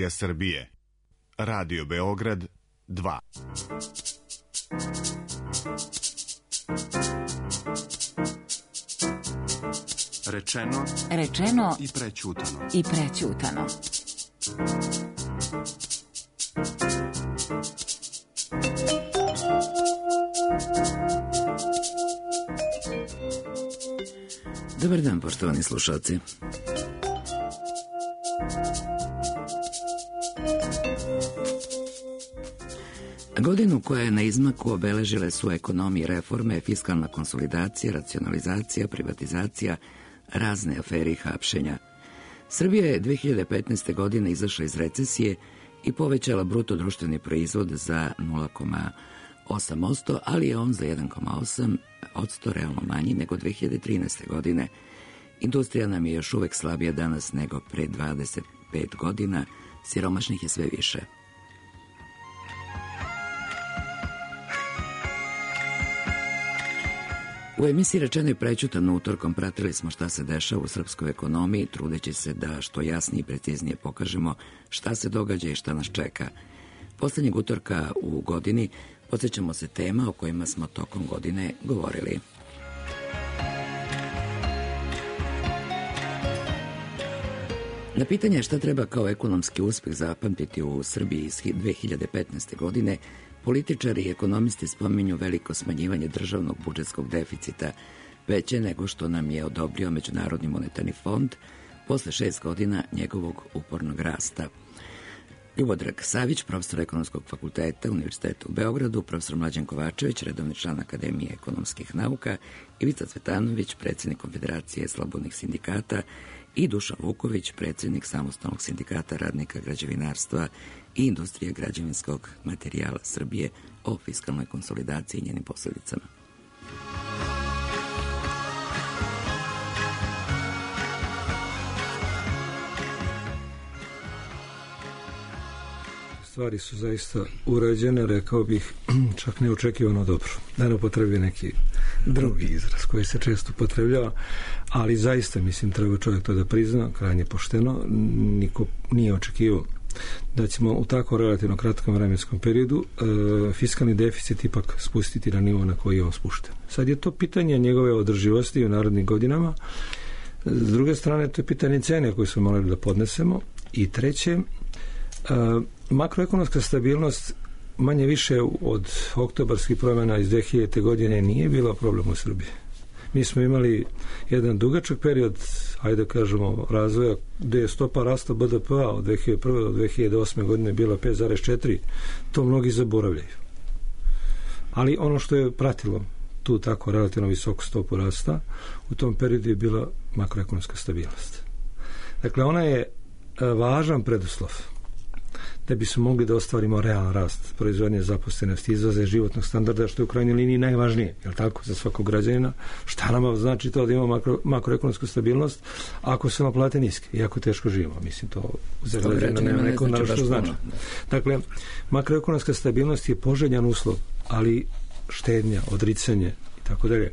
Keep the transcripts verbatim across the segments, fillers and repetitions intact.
Srbije. Radio Beograd dva. Rečeno, rečeno i prećutano. I prećutano. Dobar dan, poštovani slušalci. Godinu koja je na izmaku obeležile su ekonomije reforme, fiskalna konsolidacija, racionalizacija, privatizacija, razne afere i hapšenja. Srbija je dve hiljade petnaeste. godine izašla iz recesije i povećala bruto društveni proizvod za nula zarez osam posto, ali je on za jedan zarez osam posto realno manji nego dve hiljade trinaeste. godine. Industrija nam je još uvek slabija danas nego pre dvadeset pet godina, siromašnih je sve više. U emisiji Rečeno i prećutano utorkom pratili smo šta se dešava u srpskoj ekonomiji, trudeći se da što jasnije i preciznije pokažemo šta se događa i šta nas čeka. Poslednjeg utorka u godini podsjećamo se tema o kojima smo tokom godine govorili. Na pitanje šta treba kao ekonomski uspeh zapamtiti u Srbiji iz dve hiljade petnaeste. godine, političari i ekonomisti spominju veliko smanjivanje državnog budžetskog deficita, veće nego što nam je odobrio Međunarodni monetarni fond posle šest godina njegovog upornog rasta. Ljubodrag Savić, profesor Ekonomskog fakulteta Univerziteta u Beogradu, profesor Mlađan Kovačević, redovni član Akademije ekonomskih nauka, Ivica Cvetanović, predsjednik Konfederacije slobodnih sindikata i Dušan Vuković, predsjednik Samostalnog sindikata radnika građevinarstva i industrije građevinskog materijala Srbije o fiskalnoj konsolidaciji i njenim posledicama. Stvari su zaista urađene, rekao bih, čak neočekivano dobro. Da ne upotrebi neki drugi izraz koji se često upotrebljava, ali zaista, mislim, treba čovjek to da prizna, krajnje pošteno. Niko nije očekivao da ćemo u tako relativno kratkom vremenskom periodu e, fiskalni deficit ipak spustiti na nivo na koji je on spušten. Sad je to pitanje njegove održivosti u narodnim godinama. S druge strane, to je pitanje cene koje smo morali da podnesemo. I treće, e, makroekonomska stabilnost manje više od oktobarskih promjena iz dve hiljadite. godine nije bila problem u Srbiji. Mi smo imali jedan dugačak period, ajde da kažemo, razvoja gde je stopa rasta B D P-a od dve hiljade prve. do dve hiljade osme. godine bila pet zarez četiri. To mnogi zaboravljaju. Ali ono što je pratilo tu tako relativno visoku stopu rasta, u tom periodu je bila makroekonomska stabilnost. Dakle, ona je važan preduslov da bismo mogli da ostvarimo realan rast proizvodnje, zaposlenosti, izvoza životnog standarda, što je u krajnjoj liniji najvažnije, je li tako, za svakog građanina. Šta nama znači to da imamo makro, makroekonomsku stabilnost ako su nam plate niske i ako teško živimo? Mislim, to za građanina nema neko na što znači. Dakle, makroekonomska stabilnost je poželjan uslov, ali štednja, odricanje i tako dalje,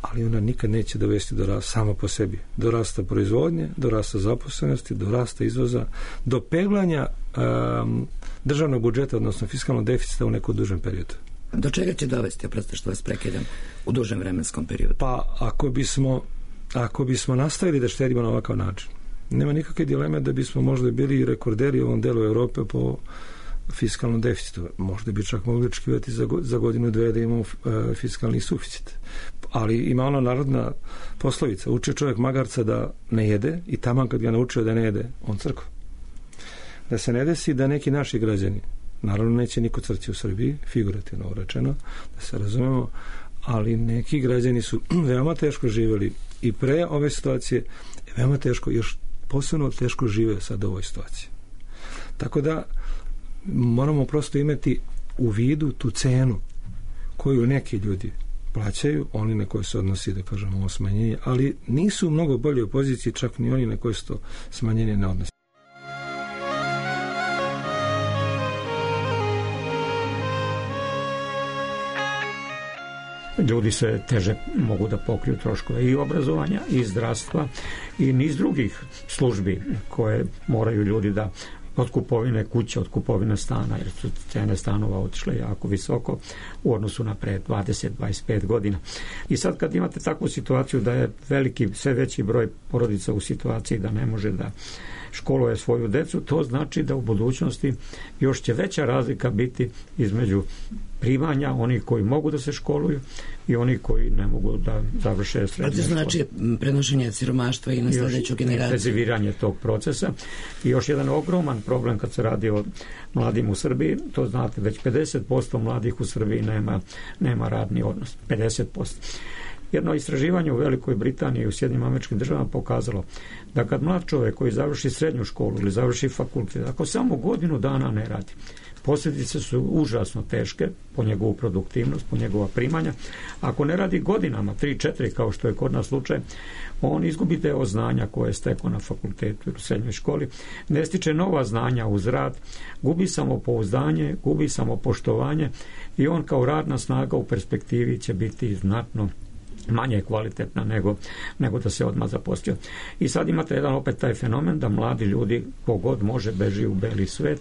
ali ona nikad neće dovesti do rasta samo po sebi. Do rasta proizvodnje, do rasta zaposlenosti, do rasta izvoza, do peglanja um, državnog budžeta, odnosno fiskalnog deficita u nekom dužem periodu. Do čega će dovesti, oprosti što vas prekidam, u dužem vremenskom periodu? Pa ako bismo, ako bismo nastavili da štedimo na ovakav način, nema nikakve dileme da bismo možda bili rekorderi u ovom delu Evrope po fiskalnom deficitu. Možda bi čak mogli očekivati za, za godinu dve da imamo e, fiskalni suficit. Ali ima ona narodna poslovica, uči čovjek magarca da ne jede i taman kad ga naučio da ne jede, on crkva. Da se ne desi da neki naši građani, naravno neće niko crći u Srbiji, figurativno rečeno, da se razumemo, ali neki građani su veoma teško živjeli i pre ove situacije, veoma teško, još posebno teško žive sad u ovoj situaciji. Tako da moramo prosto imati u vidu tu cenu koju neki ljudi plaćaju, oni na koje se odnosi, da kažemo, ovo smanjenje, ali nisu u mnogo bolje u poziciji čak ni oni na koje se to smanjenje ne odnosi. Ljudi se teže mogu da pokriju troškove i obrazovanja, i zdravstva, i niz drugih službi koje moraju ljudi da od kupovine kuće, od kupovine stana, jer su cene stanova otišle jako visoko u odnosu na pre dvadeset do dvadeset pet godina. I sad kad imate takvu situaciju da je veliki, sve veći broj porodica u situaciji da ne može da školuje svoju decu, to znači da u budućnosti još će veća razlika biti između primanja onih koji mogu da se školuju i oni koji ne mogu da završe srednje škole. A to znači prenošenje siromaštva i na sledeću generaciju. Intenziviranje tog procesa. I još jedan ogroman problem kad se radi o mladim u Srbiji, to znate, već pedeset posto mladih u Srbiji nema, nema radni odnos. pedeset posto. Jedno istraživanje u Velikoj Britaniji i u Sjedinjenim Američkim Državama pokazalo da kad mlad čovjek koji završi srednju školu ili završi fakultet, ako samo godinu dana ne radi, posljedice su užasno teške po njegovu produktivnost, po njegova primanja. Ako ne radi godinama, tri četiri kao što je kod nas slučaj, on izgubi deo znanja koje je stekao na fakultetu ili u srednjoj školi, ne stiče nova znanja uz rad, gubi samopouzdanje, gubi samopoštovanje i on kao radna snaga u perspektivi će biti znatno manje kvalitetna nego, nego da se odmah zaposlio. I sad imate jedan opet taj fenomen da mladi ljudi kogod može beži u beli svet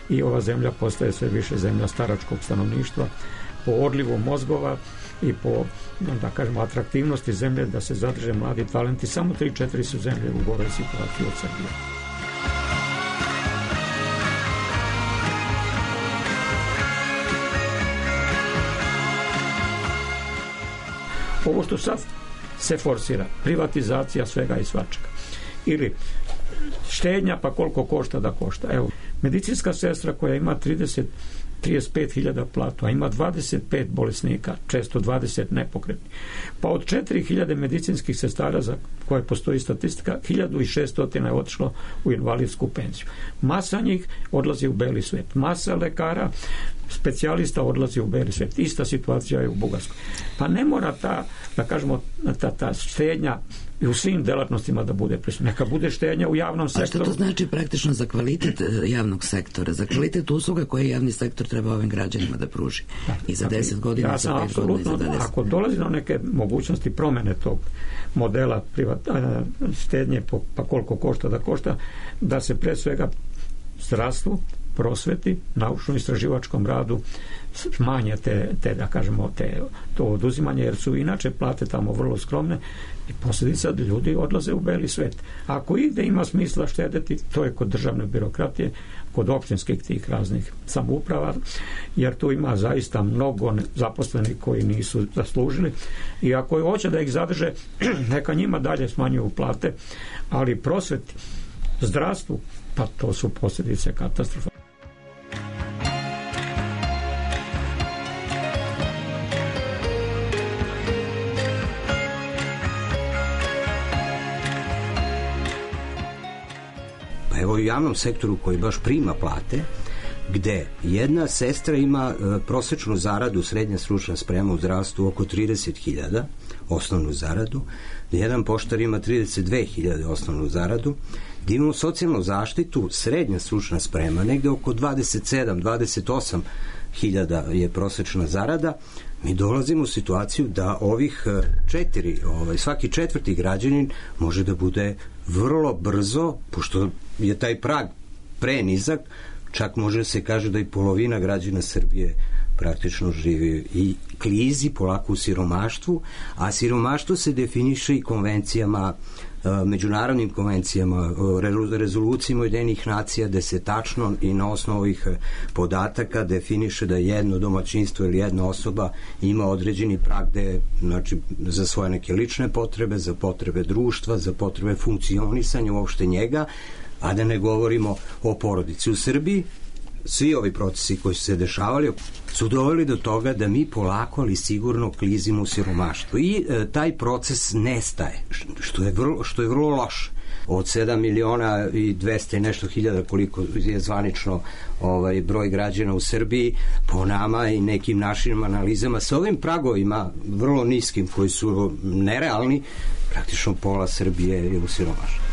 i ova zemlja postaje sve više zemlja staračkog stanovništva po odlivu mozgova i po, da kažemo, atraktivnosti zemlje da se zadrže mladi talenti. Samo tri četiri su zemlje u goroj situaciji od Srbije. Ovo što sad se forsira, privatizacija svega i svačega, ili štednja pa koliko košta da košta. Evo, medicinska sestra koja ima trideset do trideset pet hiljada platu, a ima dvadeset pet bolesnika, često dvadeset nepokretnih. Pa od četiri hiljade medicinskih sestara za koje postoji statistika, hiljadu šesto je otišlo u invalidsku penziju. Masa njih odlazi u beli svet. Masa lekara, specijalista odlazi u beli svet. Ista situacija je u Bugarskoj. Pa ne mora ta, da kažemo, ta, ta štednja i u svim delatnostima da bude prisutna. Neka bude štednja u javnom sektoru. A što to znači praktično za kvalitet javnog sektora, za kvalitet usluga koje javni sektor treba ovim građanima da pruži? Da, i za deset godina, ja za pet godina, i za dvadeset. Ako dolazi do neke mogućnosti promene tog modela privat, štednje po, pa koliko košta da košta, da se pre svega zdravstvu, prosveti, naučno-istraživačkom radu smanje te, te, da kažemo, te, to oduzimanje, jer su inače plate tamo vrlo skromne i posljedica da ljudi odlaze u beli svet. Ako ide ima smisla štedeti, to je kod državne birokratije, kod općinskih tih raznih samouprava, jer tu ima zaista mnogo zaposlenih koji nisu zaslužili i ako hoće da ih zadrže, neka njima dalje smanjuju plate, ali prosveti, zdravstvu, pa to su posljedice katastrofa. Pa evo u javnom sektoru koji baš prima plate, gde jedna sestra ima e, prosečnu zaradu, srednja stručna sprema u zdravstvu oko trideset hiljada, osnovnu zaradu, gde jedan poštar ima trideset dve hiljade osnovnu zaradu, gde imamo socijalnu zaštitu, srednja stručna sprema, negde oko dvadeset sedam do dvadeset osam hiljada je prosečna zarada. Mi dolazimo u situaciju da ovih četiri, ovaj, svaki četvrti građanin može da bude vrlo brzo, pošto je taj prag prenizak, čak može se kaže da i polovina građana Srbije praktično živi i klizi polako u siromaštvu, a siromaštvo se definiše i konvencijama, međunarodnim konvencijama, rezolucijama Ujedinjenih nacija, gde se tačno i na osnovu ovih podataka definiše da jedno domaćinstvo ili jedna osoba ima određeni prag gde, znači, za svoje neke lične potrebe, za potrebe društva, za potrebe funkcionisanja uopšte njega, a da ne govorimo o porodici. U Srbiji svi ovi procesi koji su se dešavali su doveli do toga da mi polako, ali sigurno klizimo u siromaštvo. I e, taj proces nestaje, što je vrlo, što je vrlo loše. Od sedam miliona i dvesta i nešto hiljada koliko je zvanično ovaj, broj građana u Srbiji, po nama i nekim našim analizama, sa ovim pragovima vrlo niskim koji su nerealni, praktično pola Srbije je u siromaštvu.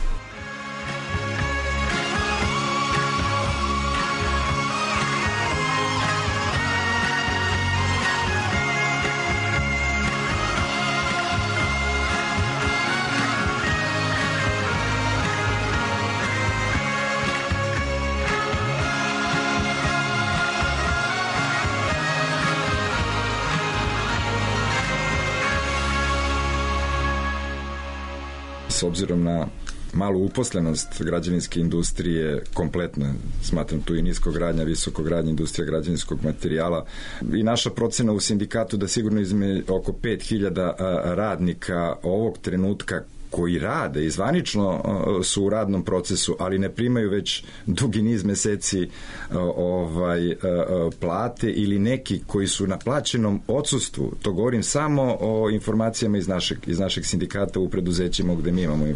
s obzirom na malu uposlenost građevinske industrije kompletno, smatram tu i niskogradnja, visokogradnja, industrija građevinskog materijala i naša procena u sindikatu da sigurno izme oko pet hiljada radnika ovog trenutka koji rade i zvanično su u radnom procesu, ali ne primaju već dugi niz meseci ovaj, plate ili neki koji su na plaćenom odsustvu. To govorim samo o informacijama iz našeg, iz našeg sindikata u preduzećima gde mi imamo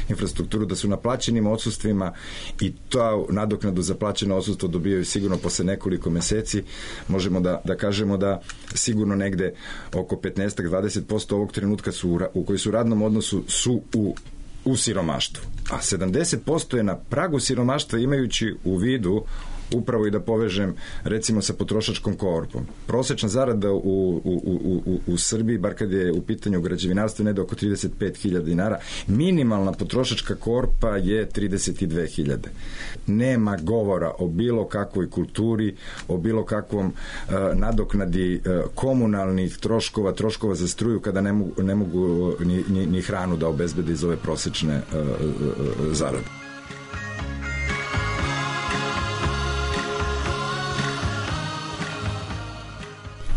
infrastrukturu, da su na plaćenim odsustvima i to nadoknadu za plaćeno odsustvo dobijaju sigurno posle nekoliko meseci. Možemo da, da kažemo da sigurno negde oko petnaest do dvadeset posto ovog trenutka su u, u koji su u radnom odnosu su U, u siromaštvu. A sedamdeset posto je na pragu siromaštva, imajući u vidu upravo i da povežem recimo sa potrošačkom korpom. Prosečna zarada u, u, u, u, u Srbiji, bar kad je u pitanju građevinarstva, ne da oko trideset pet hiljada dinara. Minimalna potrošačka korpa je trideset dve hiljade. Nema govora o bilo kakvoj kulturi, o bilo kakvom uh, nadoknadi uh, komunalnih troškova, troškova za struju kada ne mogu, ne mogu ni, ni, ni hranu da obezbede iz ove prosečne uh, uh, zarade.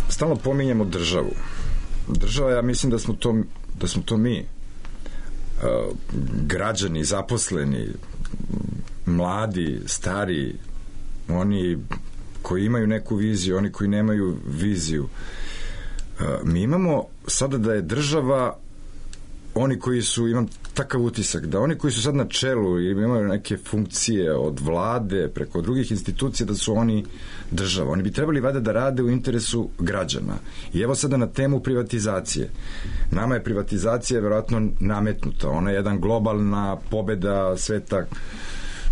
Stalno pominjemo državu. Država, ja mislim da smo to, da smo to mi, uh, građani, zaposleni, mladi, stari, oni koji imaju neku viziju, oni koji nemaju viziju. Uh, mi imamo sada da je država oni koji su, imam takav utisak, da oni koji su sad na čelu i imaju neke funkcije od vlade preko drugih institucija, da su oni država. Oni bi trebali vada da rade u interesu građana. I evo sada na temu privatizacije. Nama je privatizacija verovatno nametnuta. Ona je jedan globalna pobeda sveta,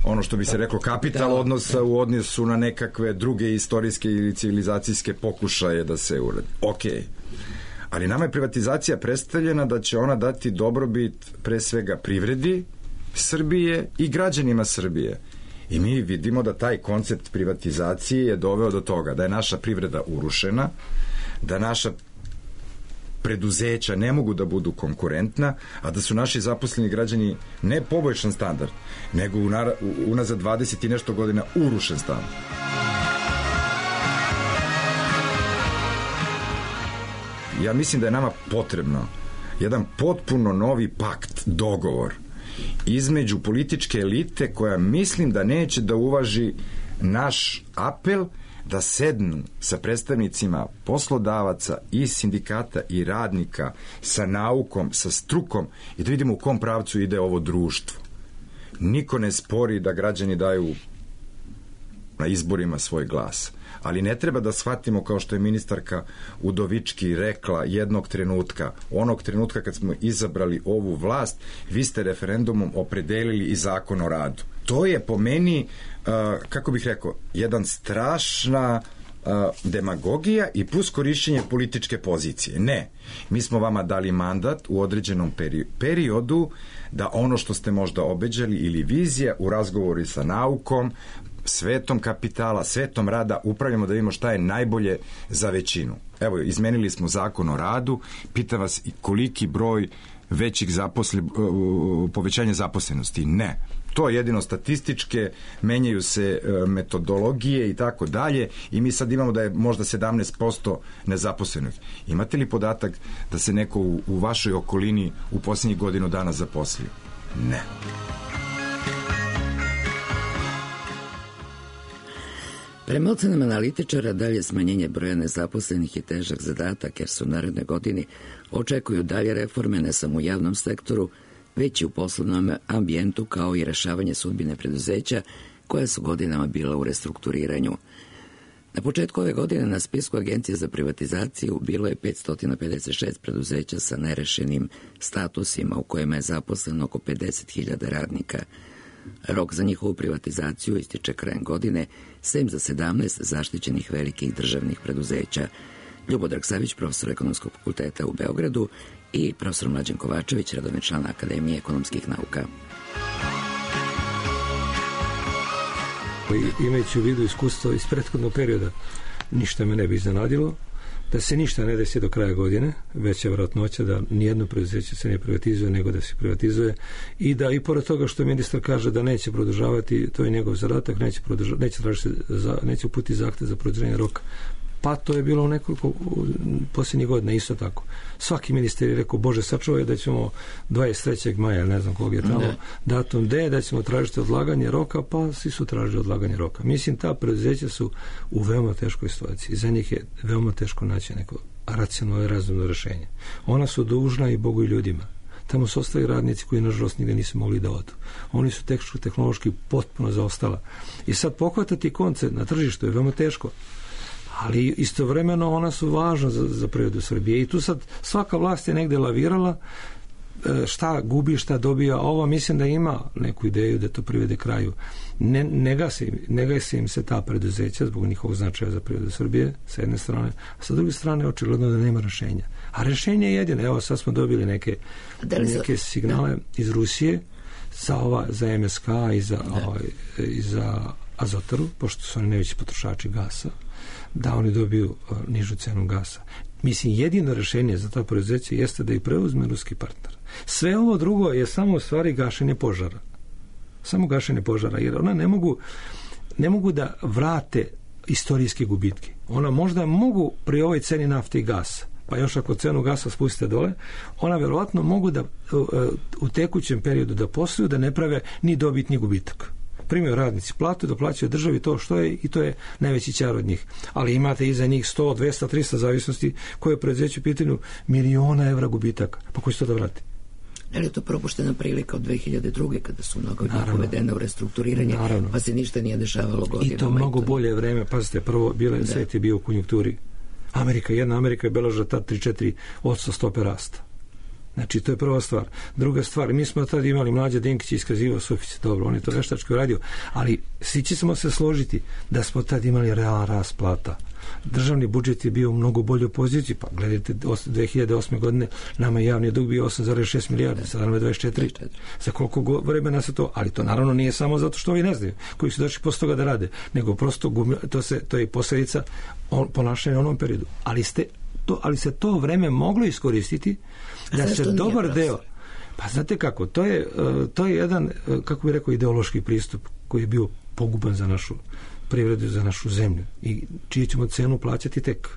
ono što bi se reklo kapital odnosa u odnosu na nekakve druge istorijske ili civilizacijske pokušaje da se uradi. Okej. Okay. Ali nama je privatizacija predstavljena da će ona dati dobrobit pre svega privredi Srbije i građanima Srbije. I mi vidimo da taj koncept privatizacije je doveo do toga da je naša privreda urušena, da naša preduzeća ne mogu da budu konkurentna, a da su naši zaposleni građani ne poboljšan standard, nego unazad dvadeset i nešto godina urušen standard. Ja mislim da je nama potrebno jedan potpuno novi pakt, dogovor između političke elite koja mislim da neće da uvaži naš apel da sednu sa predstavnicima poslodavaca i sindikata i radnika, sa naukom, sa strukom i da vidimo u kom pravcu ide ovo društvo. Niko ne spori da građani daju na izborima svoj glas. Ali ne treba da shvatimo, kao što je ministarka Udovički rekla jednog trenutka, onog trenutka kad smo izabrali ovu vlast, vi ste referendumom opredelili i zakon o radu. To je po meni, uh, kako bih rekao, jedan strašna uh, demagogija i plus korišćenje političke pozicije. Ne, mi smo vama dali mandat u određenom peri- periodu da ono što ste možda obeđali ili vizija u razgovoru sa naukom, svetom kapitala, svetom rada upravljamo da vidimo šta je najbolje za većinu. Evo, izmenili smo zakon o radu, pita vas koliki broj većih zaposle, povećanja zaposlenosti. Ne. To je jedino statističke, menjaju se metodologije i tako dalje i mi sad imamo da je možda sedamnaest posto nezaposlenih. Imate li podatak da se neko u, u vašoj okolini u posljednjih godinu dana zaposlio? Ne. Prema ocenama analitičara, dalje smanjenje broja nezaposlenih je težak zadatak, jer su u narednoj godini očekuju dalje reforme ne samo u javnom sektoru, već i u poslovnom ambijentu, kao i rešavanje sudbine preduzeća koja su godinama bila u restrukturiranju. Na početku ove godine na spisku Agencije za privatizaciju bilo je petsto pedeset šest preduzeća sa nerešenim statusima u kojima je zaposleno oko pedeset hiljada radnika. Rok za njihovu privatizaciju ističe krajem godine, sem za sedamnaest zaštićenih velikih državnih preduzeća. Ljubodrag Savić, profesor Ekonomskog fakulteta u Beogradu, i profesor Mlađan Kovačević, redovni član Akademije ekonomskih nauka. Imajući u vidu iskustvo iz prethodnog perioda, ništa me ne bi iznenadilo. da se ništa ne desi do kraja godine, veća vjerojatnoća da nijedno preduzeće se ne privatizuje nego da se privatizuje i da i pored toga što ministar kaže da neće produžavati, to je njegov zadatak, neće, neće, za, neće uputiti zahtev za produženje roka. Pa to je bilo u nekoliko u posljednjih godina isto tako. Svaki ministar je rekao, Bože sačuvaj da ćemo dvadeset trećeg maja, ne znam kog je tamo, ne. datum D, da ćemo tražiti odlaganje roka, pa svi su tražili odlaganje roka. Mislim, ta preduzeća su u veoma teškoj situaciji. Za njih je veoma teško naći neko racionalno i razumno rješenje. Ona su dužna i Bogu i ljudima. Tamo su ostali radnici koji nažalost nigde nisu mogli da odu. Oni su tehničko-tehnološki potpuno zaostala. I sad pohvatati konce na tržištu je veoma teško. Ali istovremeno ona su važna za, za privredu Srbije i tu sad svaka vlast je negde lavirala, šta gubi, šta dobija. Ova mislim da ima neku ideju da to privede kraju. Ne, ne, gasi, ne gasi im se ta preduzeća zbog njihovog značaja za privredu Srbije sa jedne strane, a sa druge strane očigledno da nema rešenja. A rešenje je jedino, evo sad smo dobili neke, neke signale da. iz Rusije za, ova, za M S K i za, ovaj, i za Azotaru, pošto su oni najveći potrošači gasa, da oni dobiju uh, nižu cenu gasa. Mislim, jedino rešenje za ta preduzeća jeste da ih preuzme ruski partner. Sve ovo drugo je samo u stvari gašenje požara. Samo gašenje požara, jer ona ne mogu, ne mogu da vrate istorijske gubitke. Ona možda mogu pri ovoj ceni nafte i gasa, pa još ako cenu gasa spustite dole, ona verovatno mogu da uh, u tekućem periodu da posluju, da ne prave ni dobit ni gubitak. Primaju radnici platu, da plaćaju državi to što je i to je najveći ćar od njih. Ali imate iza njih sto, dvesta, trista zavisnosti koje preduzeću pitanju miliona evra gubitaka. Pa koji će to da vrati? Je li to propuštena prilika od dve hiljade druge kada su mnogo od njih uvedene u restrukturiranje, Naravno. pa se ništa nije dešavalo godinama? I to mnogo bolje vreme. Pazite, prvo bile, da. svet je bio u konjunkturi. Amerika, jedna Amerika je beležila tad tri do četiri posto stope rasta. Znači, to je prva stvar. Druga stvar, mi smo tad imali Mlađa Dinkić iskazivao suficit, dobro, on je to veštačko radio, ali svi ćemo se složiti da smo tad imali realan rast plata. Državni budžet je bio u mnogo boljoj poziciji, pa gledajte, dve hiljade osme godine nama je javni dug bio osam zarez šest milijardi, sada nam je dvadeset četiri. Za koliko vremena se to, ali to naravno nije samo zato što ovi ne znaju, koji su došli posle toga da rade, nego prosto to, se, to je posljedica on, ponašanja u onom periodu. Ali, ste, to, ali se to vreme moglo iskoristiti da se dobar deo, pa znate kako, to je, to je jedan, kako bih rekao, ideološki pristup koji je bio poguban za našu privredu, za našu zemlju i čiju ćemo cenu plaćati tek.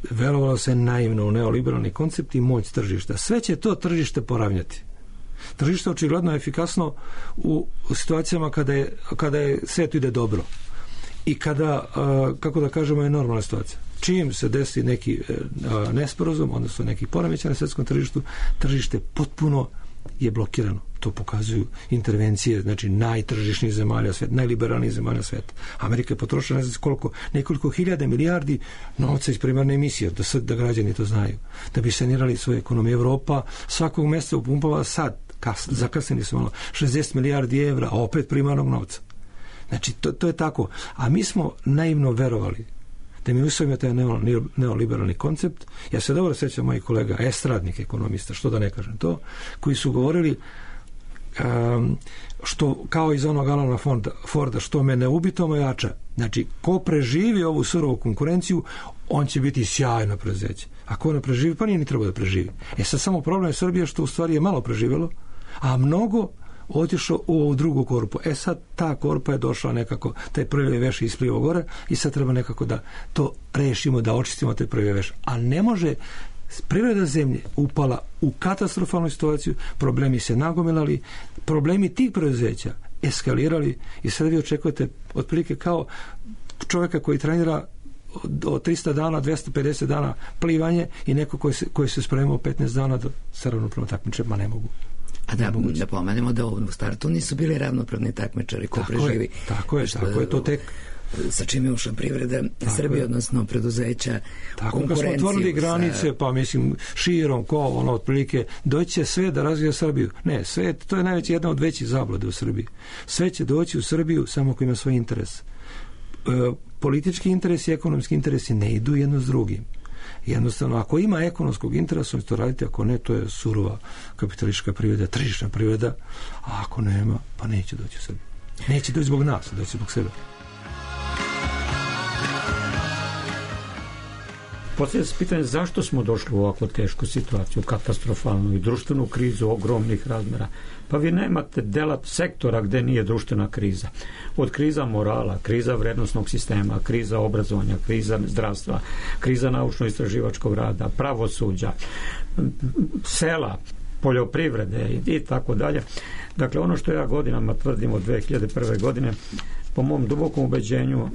Verovalo se naivno u neoliberalni koncept i moć tržišta. Sve će to tržište poravnjati. Tržište očigledno je efikasno u situacijama kada je, kada je svijetu ide dobro i kada, kako da kažemo, je normalna situacija. Čim se desi neki nesporazum, odnosno neki poremećaj na svjetskom tržištu, tržište potpuno je blokirano. To pokazuju intervencije, znači najtržišnijih zemalja svijeta, najliberalnijih zemalja svijeta. Amerika je potrošila ne znam koliko, nekoliko hiljada milijardi novca iz primarne emisije, da, sad, da građani to znaju, da bi sanirali svoje ekonomije. Evropa svakog mjeseca upumpava sad, kas, zakasnili su malo, šezdeset milijardi evra, a opet primarnog novca. Znači, to, to je tako. A mi smo naivno verovali da mi usvojimo taj neoliberalni koncept. Ja se dobro sjećam mojih kolega, estradnih ekonomista, što da ne kažem to, koji su govorili um, što, kao iz onog Alana Forda, Forda, što me ne ubi, to me jača. Znači, ko preživi ovu surovu konkurenciju, on će biti sjajno preduzeće. A ko ne preživi, pa nije ni trebao da preživi. E sad samo problem je Srbije što u stvari je malo preživjelo, a mnogo otišao u ovu drugu korpu. E sad ta korpa je došla nekako, taj prvi veš je isplivao gore i sad treba nekako da to rešimo, da očistimo taj prvi veš. A ne može, privreda zemlje upala u katastrofalnu situaciju, problemi se nagomilali, problemi tih preduzeća eskalirali i sad vi očekujete otprilike kao čovjeka koji trenira od trista dana, dvesta pedeset dana plivanje i neko koji se, koji se spremao petnaest dana da se ravnopravno takmiče, ma ne mogu. A da, da pomenemo da u startu nisu bili ravnopravni takmičari ko tako preživi. Je, tako je, što, tako je to tek. Sa čim je ušla privreda Srbije, odnosno preduzeća, tako konkurenciju. Tako kad smo otvorili granice, sa... pa mislim širom, ko ono otprilike, doće sve da razvija Srbiju. Ne, sve, to je najveća jedna od većih zabluda u Srbiji. Sve će doći u Srbiju samo ako ima svoj interes. E, politički interes i ekonomski interesi ne idu jedno s drugim. Jednostavno, ako ima ekonomskog interesa, on će to raditi, ako ne, to je surova kapitalistička privreda, tržišna privreda, a ako nema, pa neće doći u Srbiju. Neće doći zbog nas, doći zbog sebe. postavlja se pitanje zašto smo došli u ovakvu tešku situaciju, katastrofalnu i društvenu krizu ogromnih razmjera. Pa vi nemate dela sektora gde nije društvena kriza. Od kriza morala, kriza vrednosnog sistema, kriza obrazovanja, kriza zdravstva, kriza naučno-istraživačkog rada, pravosuđa, sela, poljoprivrede i tako dalje. Dakle, ono što ja godinama tvrdim od dve hiljade prve. godine, po mom dubokom ubeđenju,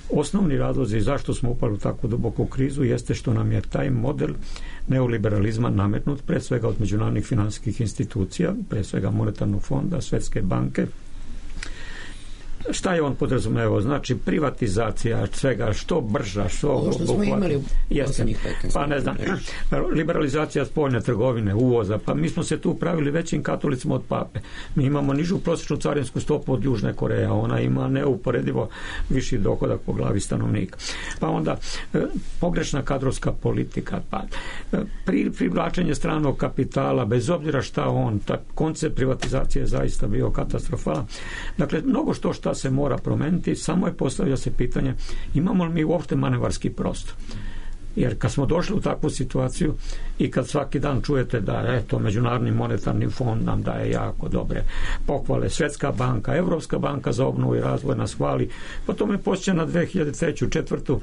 osnovni razlozi zašto smo upali u takvu duboku krizu jeste što nam je taj model neoliberalizma nametnut, pre svega od međunarodnih finansijskih institucija, pre svega Monetarnog fonda, Svetske banke. Šta je on podrazumevao? Znači privatizacija svega, što brža, što ovo što smo imali u poslednjih petnaest. Pa ne znam, liberalizacija spoljne trgovine, uvoza, pa mi smo se tu pravili većim katolicima od pape. Mi imamo nižu prosječnu carinsku stopu od Južne Koreje, ona ima neuporedivo viši dohodak po glavi stanovnika. Pa onda pogrešna kadrovska politika, pa pri, privlačenje stranog kapitala, bez obzira šta on, ta koncept privatizacije je zaista bio katastrofalan. Dakle, mnogo što šta se mora promeniti, samo je postavlja se pitanje imamo li mi uopšte manevarski prostor. Jer kad smo došli u takvu situaciju i kad svaki dan čujete da eto, Međunarodni monetarni fond nam daje jako dobre pohvale, Svetska banka, Evropska banka za obnovu i razvoj nas hvali, pa to me posjeća na dve hiljade treću četvrtu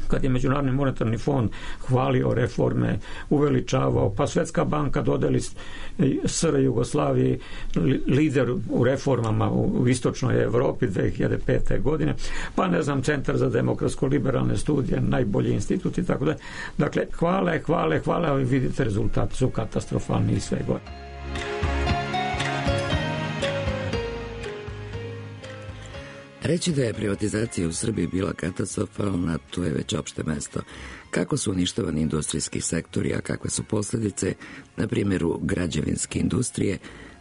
kad je Međunarodni monetarni fond hvalio reforme, uveličavao, pa Svetska banka dodeli S R Jugoslaviji lider u reformama u istočnoj Evropi dve hiljade pete. godine, pa ne znam, Centar za demokratsko-liberalne studije, najbolji institut i tako da. Dakle, hvale, hvale, hvale, ali vidite rezultati su katastrofalni i sve gore. Reći da je privatizacija u Srbiji bila katastrofalna, to je već opšte mesto. Kako su uništavani industrijski sektori, a kakve su posljedice, na primjeru građevinske industrije,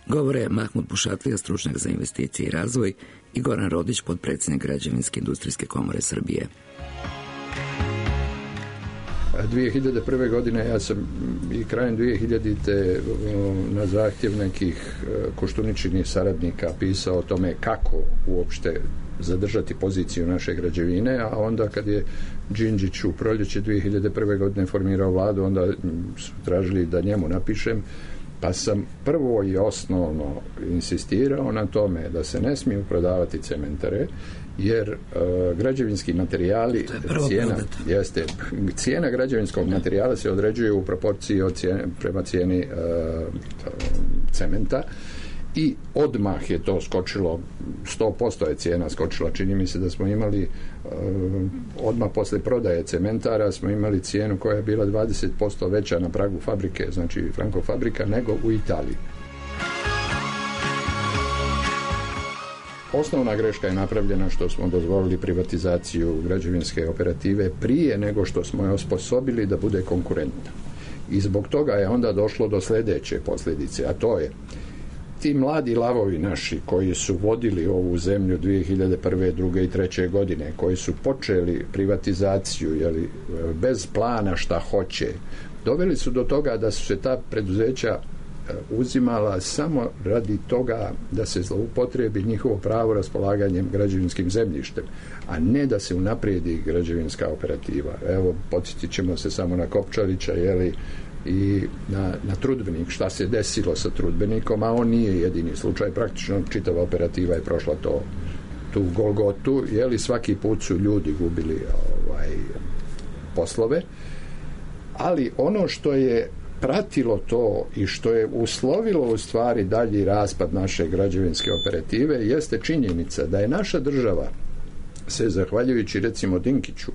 govore Mahmud Bušatlija, stručnjak za investicije i razvoj, i Goran Rodić, podpredsjednik Građevinske industrijske komore Srbije. dve hiljade prve. godine ja sam i krajem dve hiljadite. na zahtjev nekih Koštuničinih saradnika pisao o tome kako uopšte zadržati poziciju naše građevine, a onda kad je Đinđić u proljeće dve hiljade prve. godine formirao vladu, onda su tražili da njemu napišem, pa sam prvo i osnovno insistirao na tome da se ne smiju prodavati cementare, jer uh, građevinski materijali, cijena, jeste, cijena građevinskog materijala se određuje u proporciji od cijene, prema cijeni uh, cementa, i odmah je to skočilo, sto posto je cijena skočila. Čini mi se da smo imali uh, odmah posle prodaje cementara smo imali cijenu koja je bila dvadeset posto veća na pragu fabrike, znači Franko fabrika, nego u Italiji. Osnovna greška je napravljena što smo dozvolili privatizaciju građevinske operative prije nego što smo je osposobili da bude konkurentna. I zbog toga je onda došlo do sljedeće posljedice, a to je ti mladi lavovi naši koji su vodili ovu zemlju dve hiljade prve, druge i treće. godine, koji su počeli privatizaciju, jeli, bez plana šta hoće, doveli su do toga da su se ta preduzeća uzimala samo radi toga da se zloupotrebi njihovo pravo raspolaganjem građevinskim zemljištem, a ne da se unaprijedi građevinska operativa. Evo, podsjetit ćemo se samo na Kopčalića, jeli, i na, na Trudbenik, šta se desilo sa Trudbenikom, a on nije jedini slučaj, praktično čitava operativa je prošla to, tu Golgotu, jeli, svaki put su ljudi gubili ovaj, poslove, ali ono što je pratilo to i što je uslovilo u stvari dalji raspad naše građevinske operative jeste činjenica da je naša država se, zahvaljujući recimo Dinkiću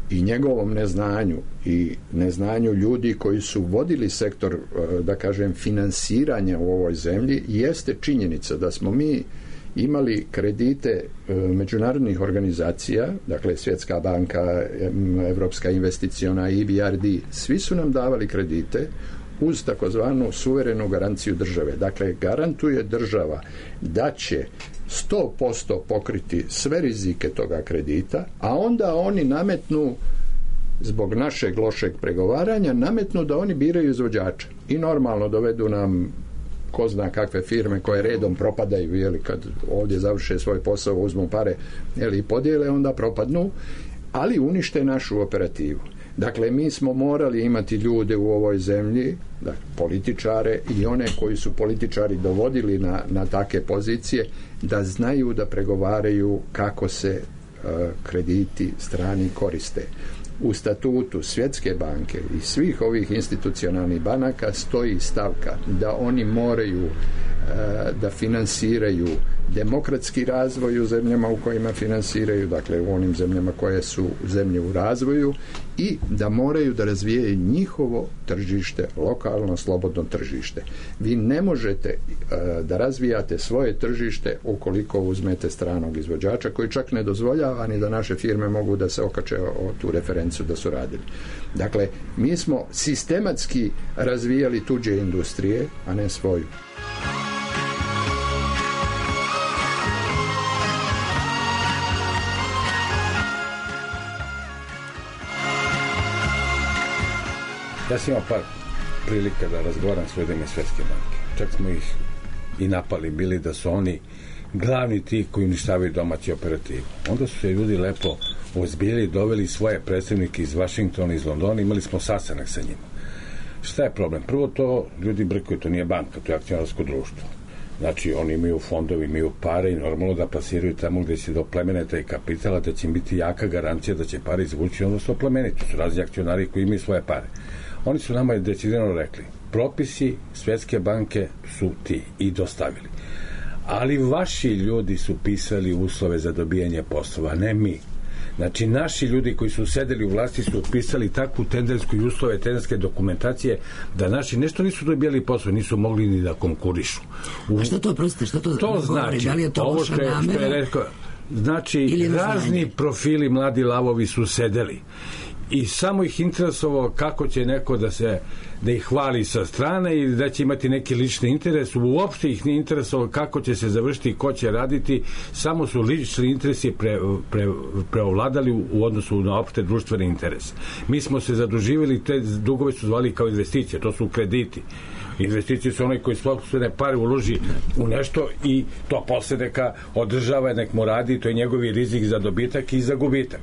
i njegovom neznanju i neznanju ljudi koji su vodili sektor, da kažem, finansiranja u ovoj zemlji, jeste činjenica da smo mi imali kredite međunarodnih organizacija, dakle Svjetska banka, Evropska investiciona, E B R D, svi su nam davali kredite uz takozvanu suverenu garanciju države. Dakle, garantuje država da će sto posto pokriti sve rizike toga kredita, a onda oni nametnu, zbog našeg lošeg pregovaranja, nametnu da oni biraju izvođača i normalno dovedu nam ko zna kakve firme koje redom propadaju, jeli, kad ovdje završe svoj posao, uzmu pare, jeli, i podijele, onda propadnu, ali unište našu operativu. Dakle, mi smo morali imati ljude u ovoj zemlji, dakle, političare i one koji su političari dovodili na, na take pozicije, da znaju da pregovaraju kako se uh, krediti strani koriste. U statutu Svjetske banke i svih ovih institucionalnih banaka stoji stavka da oni moraju uh, da finansiraju demokratski razvoj u zemljama u kojima finansiraju, dakle u onim zemljama koje su zemlje u razvoju, i da moraju da razvijaju njihovo tržište, lokalno slobodno tržište. Vi ne možete uh, da razvijate svoje tržište ukoliko uzmete stranog izvođača, koji čak ne dozvoljava ni da naše firme mogu da se okače o tu referencu da su radili. Dakle, mi smo sistematski razvijali tuđe industrije, a ne svoju. Ja sam imao par prilika da razgovaram s ljudima Svjetske banke. Čak smo ih i napali bili da su oni glavni ti koji uništavaju domaći operativu. Onda su se ljudi lepo ozbiljili, doveli svoje predstavnike iz Vašingtona, iz Londona, imali smo sastanak sa njima. Šta je problem? Prvo, to ljudi brkuju, to nije banka, to je akcionarsko društvo. Znači, oni imaju fondovi, imaju pare i normalno da plasiraju tamo gde se doplemene taj kapital, da će im biti jaka garancija da će pare izvući, odnosno oplemeniti. To su razni akcionari koji imaju svoje pare. Oni su nama decidirano rekli, propisi Svjetske banke su ti i dostavili. Ali vaši ljudi su pisali uslove za dobijanje poslova, ne mi. Znači, naši ljudi koji su sedeli u vlasti su pisali takvu tendersku i uslove tenderske dokumentacije da naši nešto nisu dobijali posao, nisu mogli ni da konkurišu. U... A što to, prostite, što to, to znači? Da li je to ovo loša što je, namera? Što je rekao, znači, razni profili mladi lavovi su sedeli i samo ih interesovalo kako će neko da se da ih hvali sa strane i da će imati neki lični interes. Uopšte ih nije interesovalo kako će se završiti i ko će raditi, samo su lični interesi pre, pre, preovladali u, u odnosu na opšte društvene interese. Mi smo se zaduživali, te dugove su zvali kao investicije, to su krediti. Investicije su onaj koji sopstvene pare uloži u nešto i to posle neka održava, nek mu radi, to je njegovi rizik za dobitak i za gubitak.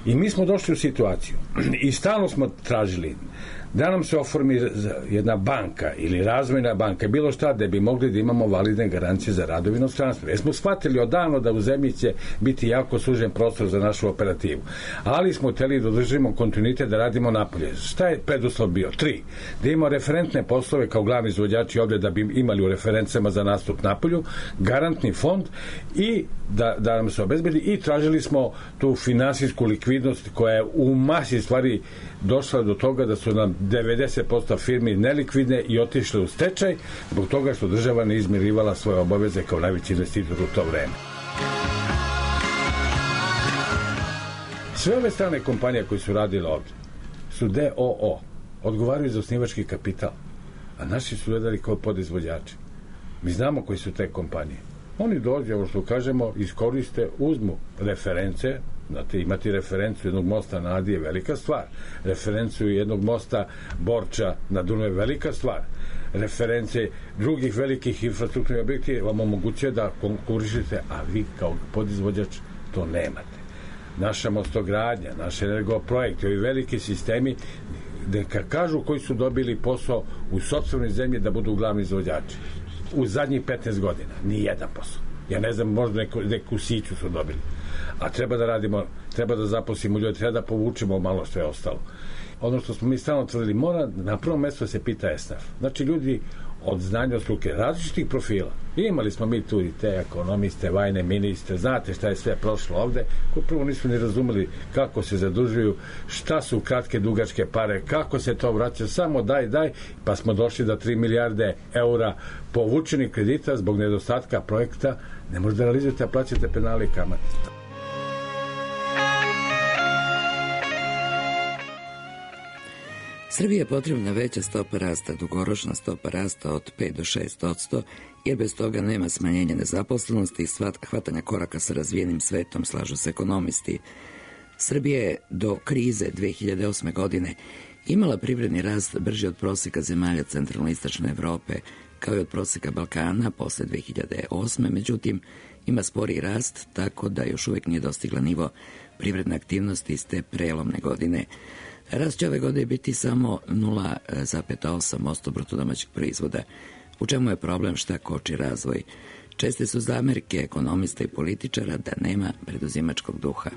I mi smo došli u situaciju i stalno smo tražili da nam se oformi jedna banka ili razvojna banka, bilo šta, da bi mogli da imamo validne garancije za rad u inostranstvu. Jer smo shvatili odavno da u zemlji će biti jako sužen prostor za našu operativu. Ali smo hteli da održimo kontinuitet, da radimo napolje. Šta je preduslov bio? Tri. Da imamo referentne poslove kao glavni izvođači ovde, da bi imali u referencama za nastup napolju, garantni fond i da, da nam se obezbedi, i tražili smo tu finansijsku likvidnost koja je u masi stvari došla do toga da su nam devedeset posto firmi nelikvidne i otišle u stečaj zbog toga što država ne izmirivala svoje obaveze kao najveći investitor u to vreme. Sve ove strane kompanije koje su radile ovde su D O O, odgovaraju za osnivački kapital, a naši su gledali kao podizvođači. Mi znamo koji su te kompanije. Oni dođe, ovo što kažemo, iskoriste, uzmu reference. Znate, imati referencu jednog mosta na Adi je velika stvar. Referencu jednog mosta Borča na Dunavu je velika stvar. Reference drugih velikih infrastrukturnih objekti vam omogućuje da konkurišete, a vi kao podizvođač to nemate. Naša mostogradnja, naš energoprojekt, ovi veliki sistemi, neka kažu koji su dobili posao u sopstvenoj zemlji da budu glavni izvođači. U zadnjih petnaest godina, ni jedan posao. Ja ne znam, možda neku, neku siću su dobili. A treba da radimo, treba da zaposlimo ljudi, treba da povučemo malo što je ostalo. Ono što smo mi stalno tvrdili, mora na prvom mjestu se pita esnaf. Znači, ljudi od znanja od struke, različitih profila. Imali smo mi tu i te ekonomiste, vajne ministre, znate šta je sve prošlo ovde, koji prvo nisu ni razumeli kako se zadužuju, šta su kratke, dugačke pare, kako se to vraća, samo daj, daj, pa smo došli do tri milijarde eura povučenih kredita zbog nedostatka projekta, ne možete da realizujete, a plaćate penale i kamate. Srbiji je potrebna veća stopa rasta, dugoročna stopa rasta od pet do šest odsto, jer bez toga nema smanjenja nezaposlenosti i hvatanja koraka sa razvijenim svetom, slažu se ekonomisti. Srbija je do krize dve hiljade osme. godine imala privredni rast brži od proseka zemalja centralno-istočne Evrope, kao i od proseka Balkana posle dve hiljade osme. Međutim, ima spori rast, tako da još uvijek nije dostigla nivo privredne aktivnosti iz te prelomne godine. Rast će ove godine biti samo nula zarez osam posto bruto domaćeg proizvoda. U čemu je problem, šta koči razvoj? Česte su zamerke ekonomista i političara da nema preduzimačkog duha.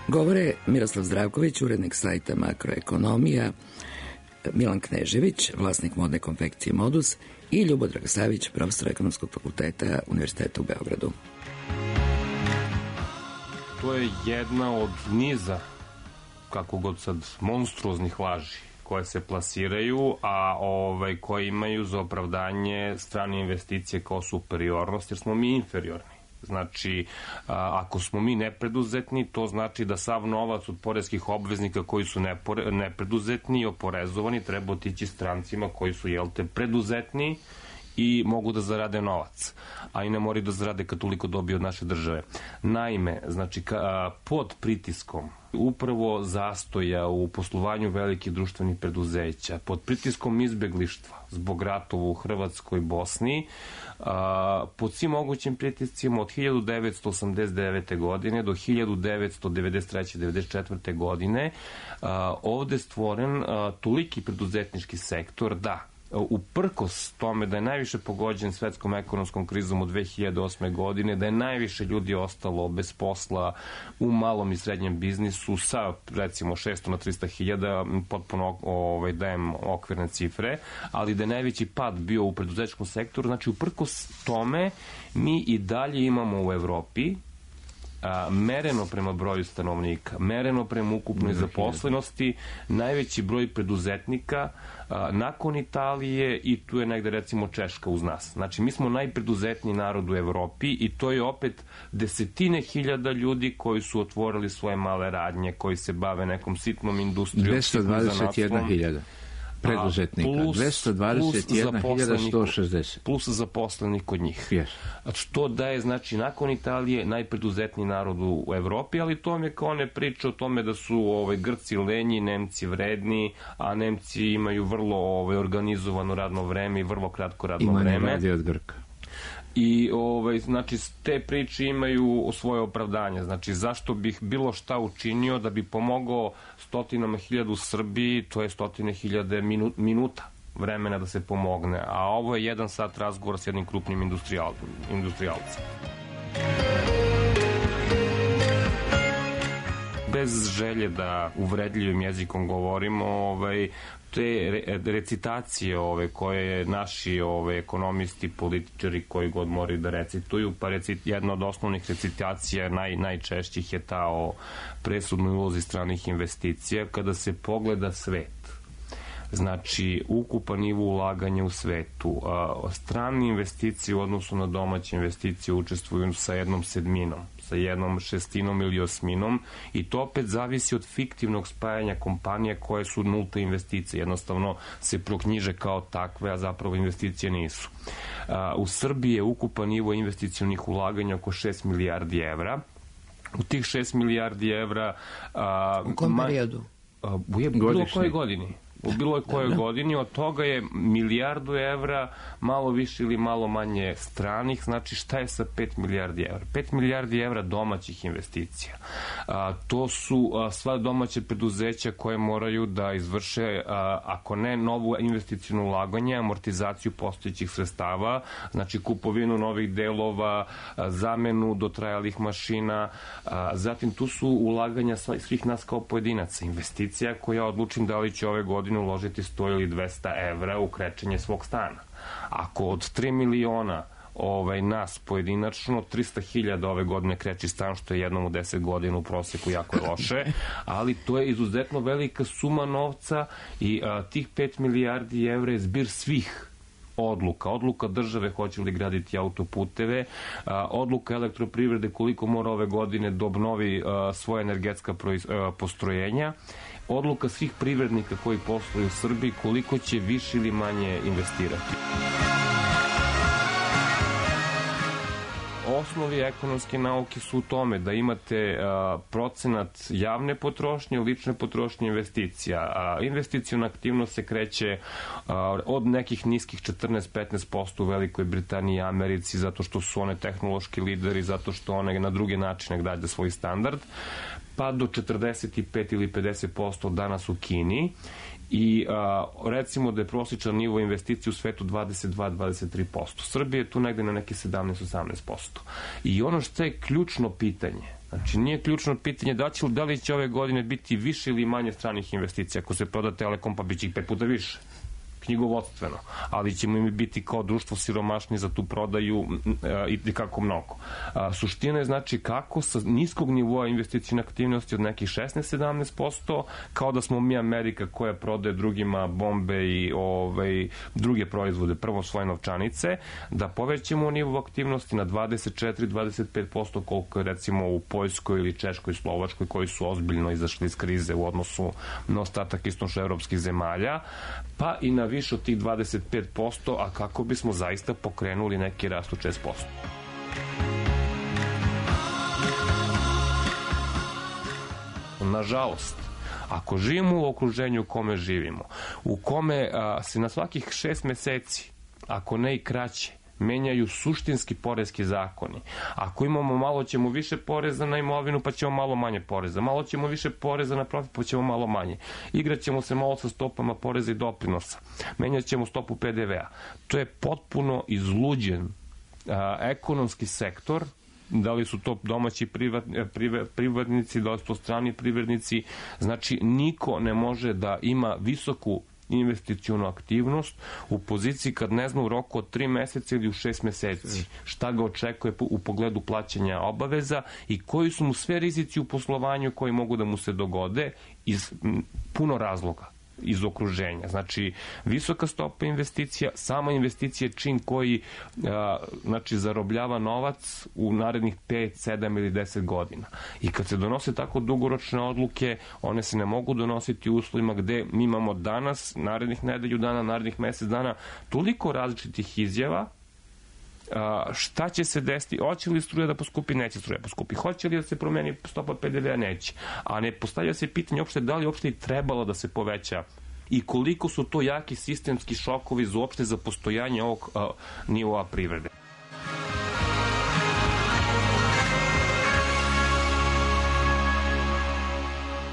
Govore Miroslav Zdravković, urednik sajta Makroekonomija, Milan Knežević, vlasnik modne konfekcije Modus i Ljubodrag Savić, profesor ekonomskog fakulteta Univerziteta u Beogradu. To je jedna od niza, kako god sad, monstruoznih laži koje se plasiraju, a ovaj, koje imaju za opravdanje strane investicije kao superiornost, jer smo mi inferiorni. Znači, a, ako smo mi nepreduzetni, to znači da sav novac od poreskih obveznika koji su nepore, nepreduzetni i oporezovani treba otići strancima koji su, jel te, preduzetni i mogu da zarade novac, a i ne moraju da zarade kad toliko dobiju od naše države. Naime, znači, ka, pod pritiskom upravo zastoja u poslovanju velikih društvenih preduzeća, pod pritiskom izbeglištva zbog ratova u Hrvatskoj i Bosni, a, pod svim mogućim pritiscima od hiljadu devetsto osamdeset devete. godine do hiljadu devetsto devedeset treće devedeset četvrte. godine a, ovde stvoren a, toliki preduzetnički sektor da uprkos tome da je najviše pogođen svetskom ekonomskom krizom od dve hiljade osme. godine, da je najviše ljudi ostalo bez posla u malom i srednjem biznisu sa recimo šesto na trista hiljada, potpuno ovaj, dajem okvirne cifre, ali da je najveći pad bio u preduzetničkom sektoru. Znači, uprkos tome mi i dalje imamo u Evropi a, mereno prema broju stanovnika, mereno prema ukupnoj zaposlenosti, najveći broj preduzetnika a, nakon Italije i tu je negde recimo Češka uz nas. Znači, mi smo najpreduzetniji narod u Evropi i to je opet desetine hiljada ljudi koji su otvorili svoje male radnje, koji se bave nekom sitnom industrijom. dvesta dvadeset jedna hiljada preduzetnika, plus, dvesta dvadeset jedna hiljada sto šezdeset. Plus zaposlenih kod njih. Yes. Što da je, znači, nakon Italije najpreduzetniji narod u Evropi, ali to mi je kao one priče o tome da su ovaj, Grci lenji, Nemci vredni, a Nemci imaju vrlo ovaj, organizovano radno vreme i vrlo kratko radno Ima vreme. Ima ne radi od Grka. I, ovaj, znači, te priče imaju svoje opravdanje. Znači, zašto bih bilo šta učinio da bi pomogao stotinama hiljada u Srbiji, to je stotine hiljade minu, minuta vremena da se pomogne. A ovo je jedan sat razgovora s jednim krupnim industrijal, industrijalcem. Bez želje da uvredljivim jezikom govorimo, ovaj, te recitacije ove, koje naši ove, ekonomisti, političari koji god moraju da recituju, pa recit, jedna od osnovnih recitacija naj, najčešćih je ta o presudnoj ulozi stranih investicija. Kada se pogleda svet, znači ukupan nivo ulaganja u svetu, a, strane investicije u odnosu na domaće investicije učestvuju sa jednom sedminom, sa jednom šestinom ili osminom i to opet zavisi od fiktivnog spajanja kompanija koje su nulte investicije. Jednostavno se proknjiže kao takve, a zapravo investicije nisu. A, u Srbiji je ukupan nivo investicionih ulaganja oko šest milijardi evra. U tih šest milijardi evra... A, u kom periodu? A, u je, bilo koje godini. U bilo je kojoj godini, od toga je milijardu evra, malo više ili malo manje stranih. Znači, šta je sa pet milijardi evra? pet milijardi evra domaćih investicija. A, to su a, sva domaće preduzeća koje moraju da izvrše, a, ako ne novu investicijnu ulaganje, amortizaciju postojećih sredstava, znači kupovinu novih delova, a, zamenu dotrajalih mašina, a, zatim tu su ulaganja svih nas kao pojedinaca. Investicija koja odlučim da li će ove godine uložiti sto ili dvesta evra u krečenje svog stana. Ako od tri miliona ovaj, nas pojedinačno, trista hiljada ove godine kreći stan, što je jednom u deset godina u proseku jako je loše, ali to je izuzetno velika suma novca i a, tih pet milijardi evra je zbir svih odluka. Odluka države hoće li graditi autoputeve, a, odluka elektroprivrede koliko mora ove godine da obnovi a, svoje energetska proiz, a, postrojenja, odluka svih privrednika koji posluju u Srbiji koliko će više ili manje investirati. osnovi ekonomske nauke su u tome da imate a, procenat javne potrošnje, lične potrošnje investicija. A, investicijona aktivnost se kreće a, od nekih niskih četrnaest do petnaest posto u Velikoj Britaniji i Americi, zato što su one tehnološki lideri, zato što one na druge načine grade svoj standard, pa do četrdeset pet ili pedeset posto danas u Kini. I a, recimo da je prosječan nivo investicije u svetu dvadeset dva do dvadeset tri posto. Srbija je tu negde na neki sedamnaest do osamnaest posto. I ono što je ključno pitanje, znači nije ključno pitanje da, će, da li će ove godine biti više ili manje stranih investicija. Ako se proda Telekom, pa bit će ih pet puta više, knjigovodstveno, ali ćemo im biti kao društvo siromašni za tu prodaju i kako mnogo. A, suština je znači kako sa niskog nivoa investicijne aktivnosti od nekih šesnaest do sedamnaest posto, kao da smo mi Amerika koja prodaje drugima bombe i ovaj, druge proizvode, prvo svoje novčanice, da povećamo nivo aktivnosti na dvadeset četiri do dvadeset pet posto koliko je recimo u Poljskoj ili Češkoj, Slovačkoj, koji su ozbiljno izašli iz krize u odnosu na ostatak istočnoevropskih zemalja, pa i na više od tih dvadeset pet posto, a kako bismo zaista pokrenuli neki rast od šest posto. Nažalost, ako živimo u okruženju u kome živimo, u kome a, se na svakih šest meseci, ako ne i kraće, menjaju suštinski poreski zakoni. Ako imamo malo, ćemo više poreza na imovinu, pa ćemo malo manje poreza. Malo ćemo više poreza na profit, pa ćemo malo manje. Igraćemo se malo sa stopama poreza i doprinosa. Menjat ćemo stopu P D V-a. To je potpuno izluđen a, ekonomski sektor. Da li su to domaći privat, privat, privatnici, da li su to strani privrednici. Znači, niko ne može da ima visoku investicionu aktivnost u poziciji kad ne zna u roku od tri meseca ili u šest meseci šta ga očekuje u pogledu plaćanja obaveza i koji su mu sve rizici u poslovanju koji mogu da mu se dogode iz puno razloga iz okruženja. Znači, visoka stopa investicija, sama investicija je čin koji a, znači, zarobljava novac u narednih pet, sedam ili deset godina. I kad se donose tako dugoročne odluke, one se ne mogu donositi u uslovima gde mi imamo danas, narednih nedelju dana, narednih mesec dana, toliko različitih izjava. A, šta će se desiti, hoće li struja da poskupi, neće struja poskupi, hoće li da se promeni stopa P D V-a, neće, a ne postavlja se pitanje uopšte da li uopšte i trebalo da se poveća i koliko su to jaki sistemski šokovi za uopšte za postojanje ovog a, nivoa privrede.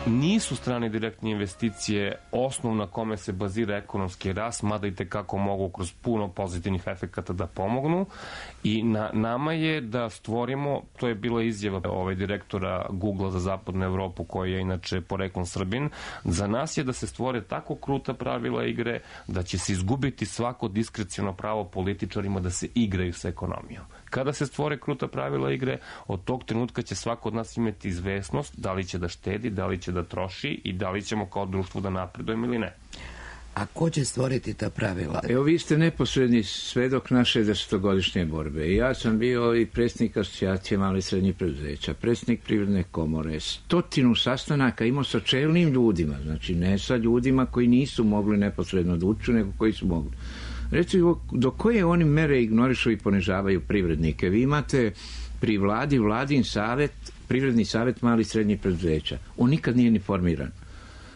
Nisu strane direktne investicije osnov na kome se bazira ekonomski rast, mada i tekako mogu kroz puno pozitivnih efekata da pomognu i na nama je da stvorimo, to je bila izjava ovaj direktora Google za zapadnu Evropu, koji je inače poreklom Srbin, za nas je da se stvore tako kruta pravila igre da će se izgubiti svako diskreciono pravo političarima da se igraju sa ekonomijom. Kada se stvore kruta pravila igre, od tog trenutka će svako od nas imati izvesnost da li će da štedi, da li će da troši i da li ćemo kao društvo da napredujemo ili ne. A ko će stvoriti ta pravila? Evo, vi ste neposredni svedok naše desetogodišnje borbe. I ja sam bio i predsjednik asocijacije malih i srednjih preduzeća, predsjednik Privredne komore, stotinu sastanaka imao sa čelnim ljudima, znači ne sa ljudima koji nisu mogli neposredno da uču, nego koji su mogli. Recimo, do koje oni mere ignorišu i ponižavaju privrednike? Vi imate pri vladi vladin savjet, privredni savjet malih i srednjih preduzeća. On nikad nije ni formiran.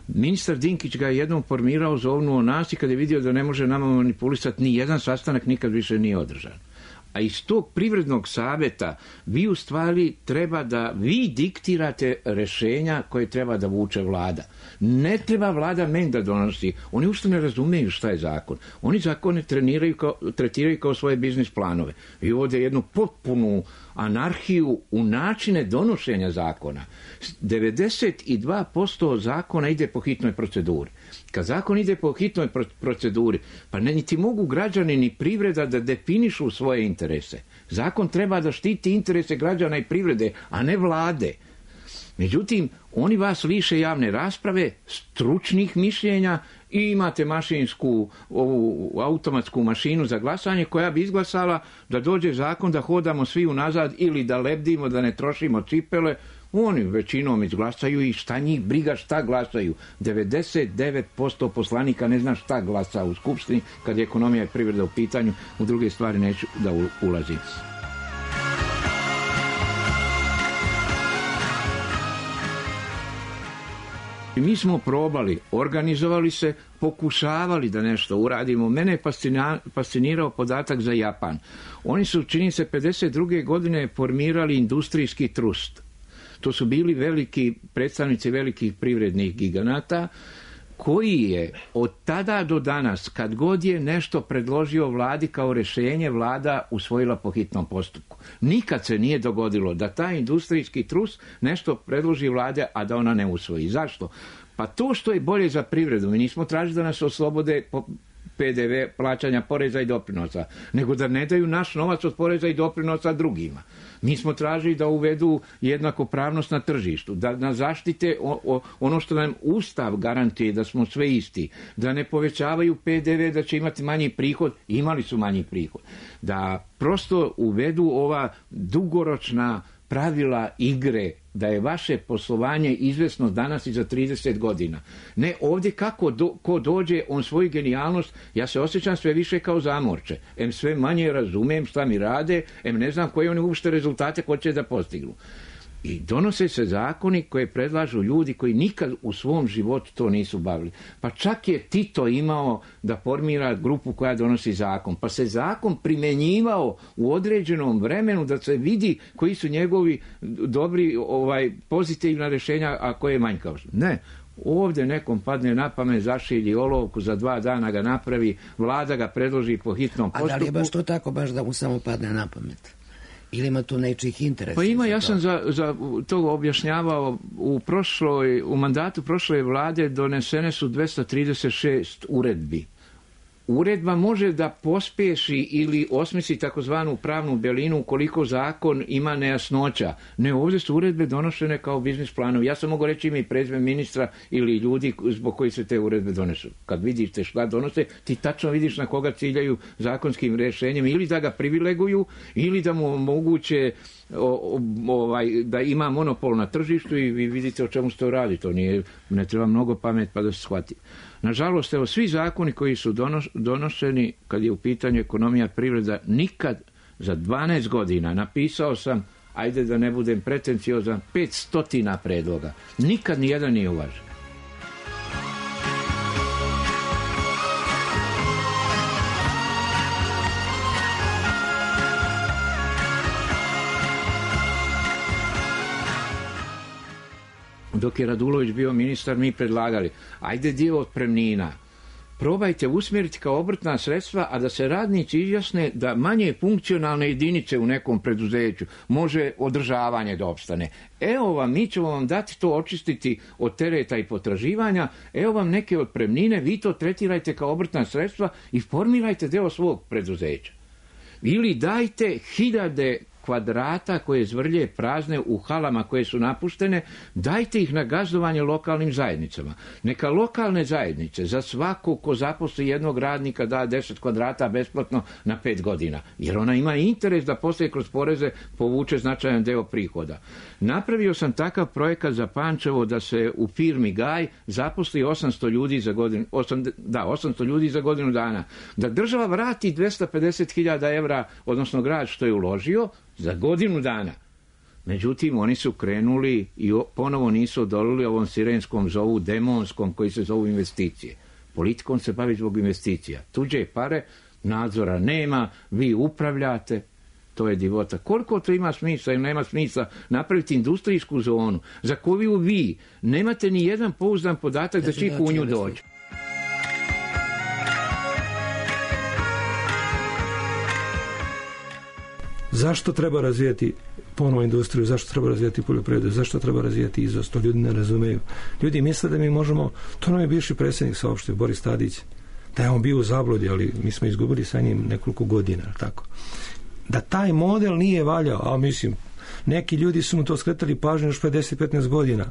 Ministar Dinkić ga je jednom formirao, zovnuo nas i kad je vidio da ne može nama manipulisati, ni jedan sastanak nikad više nije održan. A iz tog privrednog savjeta vi u stvari treba da vi diktirate rešenja koje treba da vuče vlada. Ne treba vlada meni da donosi. Oni uopšte ne razumeju šta je zakon. Oni zakone treniraju kao, tretiraju kao svoje biznis planove. I ovdje jednu potpunu anarhiju u načine donošenja zakona. devedeset dva posto zakona ide po hitnoj proceduri. Kad zakon ide po hitnoj proceduri, pa ne niti mogu građani ni privreda da definišu svoje interese. Zakon treba da štiti interese građana i privrede, a ne vlade. Međutim, oni vas liše javne rasprave, stručnih mišljenja i imate mašinsku, ovu automatsku mašinu za glasanje koja bi izglasala da dođe zakon da hodamo svi unazad ili da lebdimo, da ne trošimo cipele. Oni većinom izglasaju i šta njih briga šta glasaju. devedeset devet posto poslanika ne zna šta glasa u Skupštini kad je ekonomija i privreda u pitanju. U druge stvari neću da ulazim. I mi smo probali, organizovali se, pokušavali da nešto uradimo. Mene je fascinirao podatak za Japan. Oni su, čini se, pedeset druge godine formirali industrijski trust. To su bili veliki predstavnici velikih privrednih giganata, koji je od tada do danas, kad god je nešto predložio vladi kao rješenje, vlada usvojila po hitnom postupku. Nikad se nije dogodilo da taj industrijski trust nešto predloži vlade, a da ona ne usvoji. Zašto? Pa to što je bolje za privredu. Mi nismo tražili da nas oslobode po P D V, plaćanja poreza i doprinosa, nego da ne daju naš novac od poreza i doprinosa drugima. Mi smo tražili da uvedu jednakopravnost na tržištu, da nas zaštite o, o, ono što nam Ustav garantuje, da smo sve isti, da ne povećavaju P D V, da će imati manji prihod, imali su manji prihod, da prosto uvedu ova dugoročna pravila igre, da je vaše poslovanje izvesno danas i za trideset godina. Ne, ovdje kako do, ko dođe, on svoju genijalnost, ja se osjećam sve više kao zamorče. Em sve manje razumem šta mi rade, em ne znam koje oni uopšte rezultate hoće da postignu. I donose se zakoni koje predlažu ljudi koji nikad u svom životu to nisu bavili. Pa čak je Tito imao da formira grupu koja donosi zakon. Pa se zakon primjenjivao u određenom vremenu da se vidi koji su njegovi dobri, ovaj, pozitivna rješenja, a koje je manjkavost. Ne. Ovdje nekom padne na pamet, zašilji olovku, za dva dana ga napravi, vlada ga predloži po hitnom postupku. A da li je baš to tako, baš da mu samo padne na pamet? Ili ima tu nečih interesa? Pa ima, ja sam za, za to objašnjavao u prošloj, u mandatu prošle vlade donesene su dvesta trideset šest uredbi. Uredba može da pospješi ili osmisli takozvanu pravnu belinu ukoliko zakon ima nejasnoća. Ne, ovdje su uredbe donošene kao biznis planovi. Ja sam mogu reći ime i prezime ministra ili ljudi zbog koji se te uredbe donesu. Kad vidiš te šta donose, ti tačno vidiš na koga ciljaju zakonskim rješenjem, ili da ga privileguju, ili da mu omoguće o, ovaj, da ima monopol na tržištu, i vi vidite o čemu se to radi. To nije, ne treba mnogo pamet pa da se shvati. Nažalost, evo, svi zakoni koji su donošeni kad je u pitanju ekonomija, privreda, nikad za dvanaest godina, napisao sam, ajde da ne budem pretenciozan, pet stotina predloga. Nikad nijedan nije uvažen. Dok je Radulović bio ministar, mi predlagali, ajde dio otpremnina, probajte usmjeriti kao obrtna sredstva, a da se radnici izjasne da manje funkcionalne jedinice u nekom preduzeću može održavanje da opstane. Evo vam, mi ćemo vam dati to, očistiti od tereta i potraživanja, evo vam neke otpremnine, vi to tretirajte kao obrtna sredstva i formirajte deo svog preduzeća. Ili dajte hiljade kvadrata koje zvrlje prazne u halama koje su napuštene, dajte ih na gazdovanje lokalnim zajednicama. Neka lokalne zajednice za svako ko zaposli jednog radnika da deset kvadrata besplatno na pet godina, jer ona ima interes da poslije kroz poreze povuče značajan deo prihoda. Napravio sam takav projekat za Pančevo da se u firmi Gaj zaposli osamsto ljudi za godinu, osam, da, osamsto ljudi za godinu dana. Da država vrati dvesta pedeset hiljada evra, odnosno grad što je uložio, za godinu dana. Međutim, oni su krenuli i ponovo nisu odolili ovom sirenskom zovu, demonskom, koji se zovu investicije. Politikom se bavi zbog investicija. Tuđe pare, nadzora nema, vi upravljate, to je divota. Koliko to ima smisla ili nema smisla napraviti industrijsku zonu za koju vi nemate ni jedan pouzdan podatak da će ih u nju doći? Zašto treba razvijati ponovo industriju, zašto treba razvijati poljoprivredu, zašto treba razvijati izvoz, to ljudi ne razumeju. Ljudi misle da mi možemo, to nam je bivši predsjednik saopštio, Boris Tadić, da je on bio u zabludi, ali mi smo izgubili sa njim nekoliko godina, tako. Da taj model nije valjao, a mislim, neki ljudi su mu to skretali pažnju još pre deset do petnaest godina,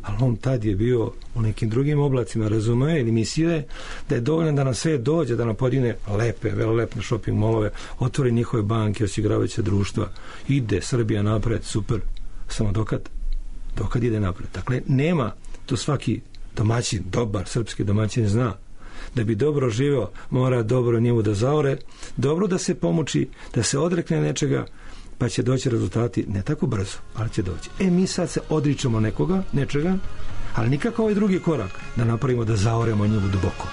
ali on tad je bio u nekim drugim oblacima, razumije ili mislije da je dovoljno da nam sve dođe, da nam podine lepe, velelepne shopping molove, otvori njihove banke, osiguravajuće društva, ide Srbija napred, super, samo dokad dokad ide napred. Dakle, nema, to svaki domaćin, dobar srpski domaćin zna, da bi dobro živeo, mora dobro njemu da zaore, dobro da se pomuči, da se odrekne nečega, pa će doći rezultati ne tako brzo, ali će doći. E, mi sad se odričemo nekoga, nečega, ali nikako ovaj drugi korak da napravimo da zaoremo nju duboko.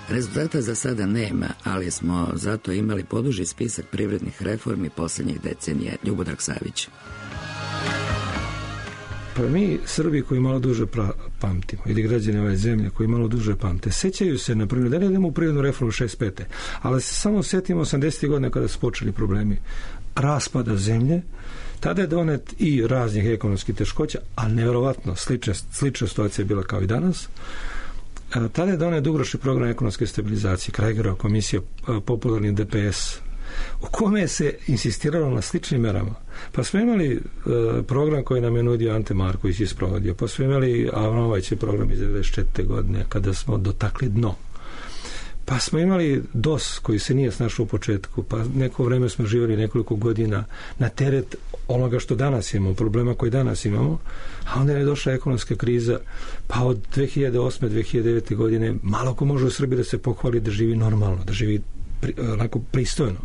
Rezultata za sada nema, ali smo zato imali poduži spisak privrednih reformi posljednjih decenija. Ljubodrag Savić. Pa mi, Srbi koji malo duže pra, pamtimo, ili građani ove zemlje koji malo duže pamte, sećaju se, na primjer, da ne idemo u privrednu reformu šezdeset pete. Ali se samo setimo osamdesetih godina kada su počeli problemi raspada zemlje. Tada je donet i raznih ekonomskih teškoća, a nevjerovatno slična, slična situacija je bila kao i danas. Tada je donet dugoročni program ekonomske stabilizacije, Kragerova komisija, popularni D P S, u kome se insistiralo na sličnim merama. Pa smo imali uh, program koji nam je nudio Ante Marković isprovodio, pa smo imali Avanovićev program iz devedeset četvrte godine kada smo dotakli dno. Pa smo imali D O S koji se nije snašao u početku, pa neko vreme smo živjeli nekoliko godina na teret onoga što danas imamo, problema koji danas imamo, a onda je došla ekonomska kriza, pa od dve hiljade osme do dve hiljade devete godine malo ko može u Srbiji da se pohvali da živi normalno, da živi pri, onako pristojno.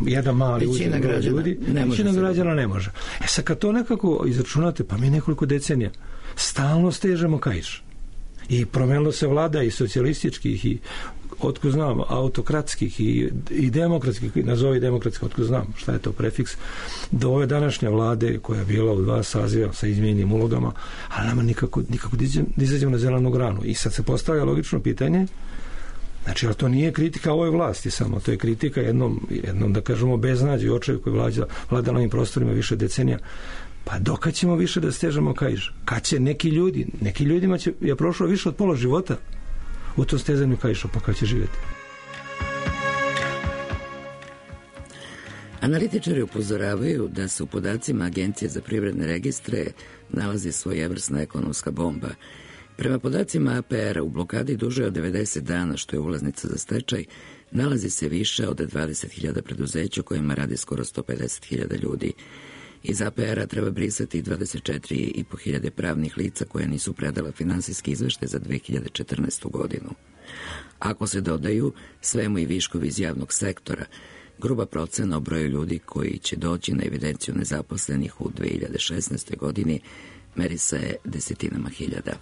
Jedan mali većina građana ljudi, ne može. Većina građana ne može. E sad kad to nekako izračunate, pa mi nekoliko decenija stalno stežemo kaiš. I promenilo se vlada i socijalističkih i otko znam, autokratskih i, i demokratskih, nazovi demokratskih, otko znam šta je to prefiks, do ove današnje vlade koja je bila u dva saziva sa izmijenjenim ulogama, ali nama nikako, nikako da izađemo na zelenu granu. I sad se postavlja logično pitanje, znači, ali to nije kritika ovoj vlasti samo, to je kritika jednom, jednom da kažemo, beznađu i očaju koji vlada, vlada na ovim prostorima više decenija. Pa dokad ćemo više da stežemo kaiš? Kad će neki ljudi, neki ljudima će, je prošlo više od pola života u tom stezanju kaiša, pa kad će živjeti? Analitičari upozoravaju da se u podacima Agencije za privredne registre nalazi svojevrsna ekonomska bomba. Prema podacima A P R-a u blokadi duže od devedeset dana, što je ulaznica za stečaj, nalazi se više od dvadeset hiljada preduzeća u kojima radi skoro sto pedeset hiljada ljudi. Iz A P R-a treba brisati dvadeset četiri i po hiljade pravnih lica koja nisu predala finansijski izveštaj za dve hiljade četrnaestu godinu. Ako se dodaju svemu i viškovi iz javnog sektora, gruba procena o broju ljudi koji će doći na evidenciju nezaposlenih u dve hiljade šesnaestoj godini meri se desetinama hiljada.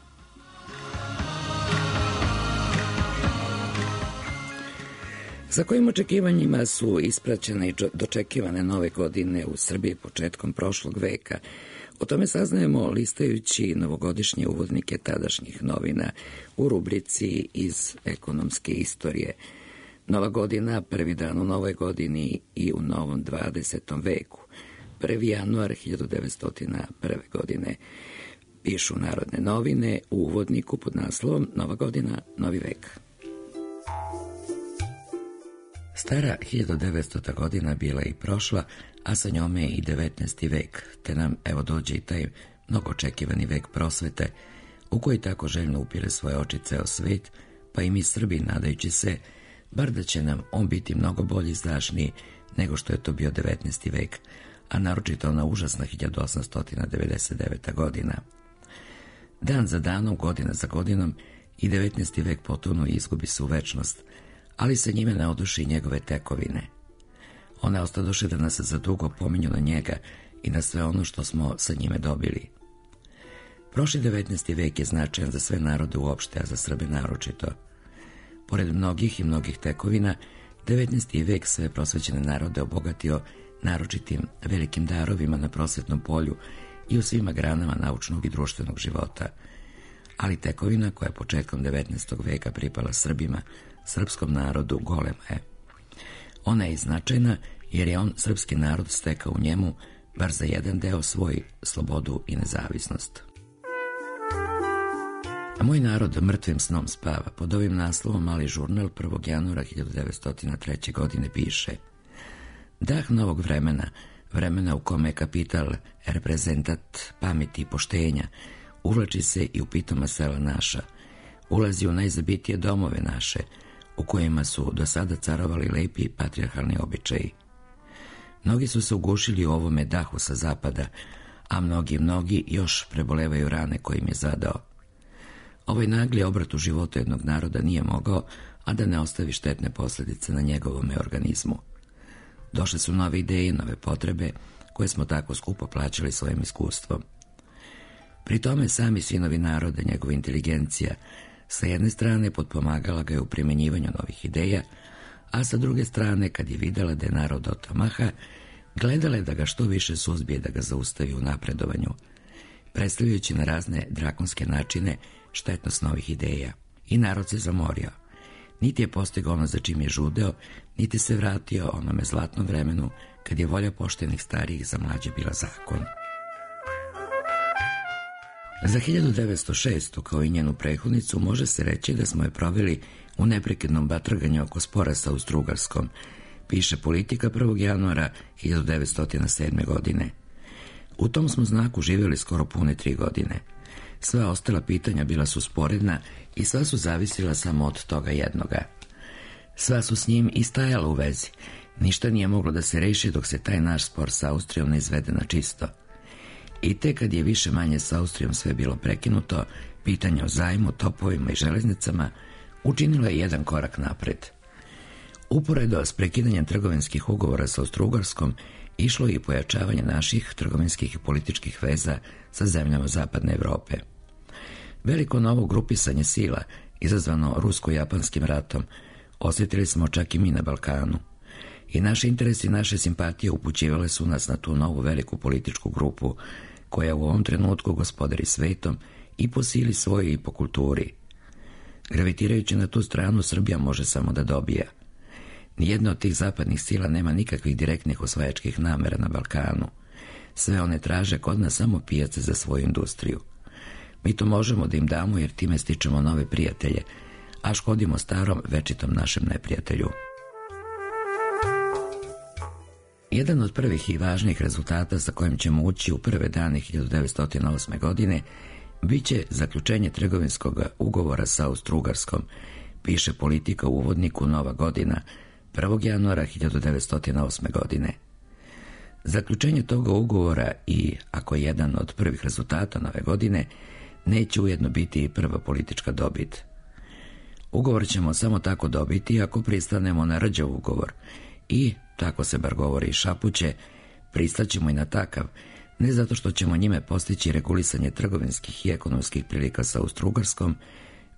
Sa kojim očekivanjima su ispraćene i dočekivane nove godine u Srbiji početkom prošlog veka? O tome saznajemo listajući novogodišnje uvodnike tadašnjih novina u rubrici iz ekonomske istorije. Nova godina, prvi dan u novoj godini i u novom dvadesetom veku. prvi januar hiljadu devetsto prve. godine. Pišu Narodne novine u uvodniku pod naslovom Nova godina, novi vek. Stara hiljadu devetstota godina bila i prošla, a sa njome i devetnaesti vek, te nam evo dođe i taj mnogo očekivani vek prosvete, u koji tako željno upire svoje oči ceo svet, pa i mi Srbi nadajući se, bar da će nam on biti mnogo bolji i izdašniji nego što je to bio devetnaesti vek, a naročito ona užasna hiljadu osamsto devedeset deveta. godina. Dan za danom, godina za godinom, i devetnaesti vek potonu i izgubi se u večnost, ali se njime ne oduši njegove tekovine. One ostadoše da nas za dugo pominju na njega i na sve ono što smo sa njime dobili. Prošli devetnaesti vek je značajan za sve narode uopšte, a za Srbe naročito. Pored mnogih i mnogih tekovina, devetnaesti vek sve prosvećene narode obogatio naročitim velikim darovima na prosvetnom polju i u svima granama naučnog i društvenog života. Ali tekovina koja je početkom devetnaestog veka pripala Srbima, srpskom narodu, golema je. Ona je značajna jer je on, srpski narod, stekao u njemu, bar za jedan deo, svoj slobodu i nezavisnost. A moj narod mrtvim snom spava. Pod ovim naslovom Mali žurnal prvog januara hiljadu devetsto treće. godine piše: dah novog vremena, vremena u kome je kapital reprezentat pameti i poštenja, uvlači se i u pitoma sela naša, ulazi u najzabitije domove naše, u kojima su do sada carovali lepi patrijarhalni običaji. Mnogi su se ugušili u ovome dahu sa zapada, a mnogi, mnogi još prebolevaju rane koje im je zadao. Ovaj nagli obrat u životu jednog naroda nije mogao, a da ne ostavi štetne posljedice na njegovome organizmu. Došle su nove ideje, nove potrebe, koje smo tako skupo plaćali svojim iskustvom. Pri tome sami sinovi naroda, njegova inteligencija, sa jedne strane potpomagala ga je u primjenjivanju novih ideja, a sa druge strane, kad je videla da je narod otamaha, gledala je da ga što više suzbije, da ga zaustavi u napredovanju, predstavljajući na razne drakonske načine štetnost novih ideja. I narod se zamorio. Niti je postigao ono za čim je žudeo, niti se vratio onome zlatnom vremenu kad je volja poštenih starijih za mlađe bila zakon. Za hiljadu devetsto šestu. kao i njenu prethodnicu, može se reći da smo je proveli u neprekidnom batraganju oko spora sa Austro-Ugarskom, piše Politika prvog januara hiljadu devetsto sedme. godine. U tom smo znaku živjeli skoro pune tri godine. Sva ostala pitanja bila su sporedna i sva su zavisila samo od toga jednoga. Sva su s njim i stajala u vezi. Ništa nije moglo da se reši dok se taj naš spor sa Austrijom ne izvede na čisto. I te kad je više manje s Austrijom sve bilo prekinuto, pitanje o zajmu, topovima i železnicama učinilo je jedan korak napred. Uporedo s prekidanjem trgovinskih ugovora sa Austro-Ugarskom išlo je i pojačavanje naših trgovinskih i političkih veza sa zemljama Zapadne Evrope. Veliko novo grupisanje sila, izazvano rusko-japanskim ratom, osjetili smo čak i mi na Balkanu. I naši interesi i naše simpatije upućivale su nas na tu novu veliku političku grupu, koja u ovom trenutku gospodari svetom i po sili svoje i po kulturi. Gravitirajući na tu stranu, Srbija može samo da dobija. Nijedna od tih zapadnih sila nema nikakvih direktnih osvajačkih namera na Balkanu. Sve one traže kod nas samo pijace za svoju industriju. Mi to možemo da im damo jer time stičemo nove prijatelje, a škodimo starom večitom našem neprijatelju. Jedan od prvih i važnijih rezultata sa kojim ćemo ući u prve dane hiljadu devetsto osme. godine biće zaključenje trgovinskog ugovora sa Austro-Ugarskom, piše Politika u uvodniku Nova godina prvog januara hiljadu devetsto osme. godine. Zaključenje toga ugovora i, ako je jedan od prvih rezultata nove godine, neće ujedno biti i prva politička dobit. Ugovor ćemo samo tako dobiti ako pristanemo na rđav ugovor i, tako se bar govori i šapuće, pristaćemo i na takav, ne zato što ćemo njime postići regulisanje trgovinskih i ekonomskih prilika sa Austro-Ugarskom,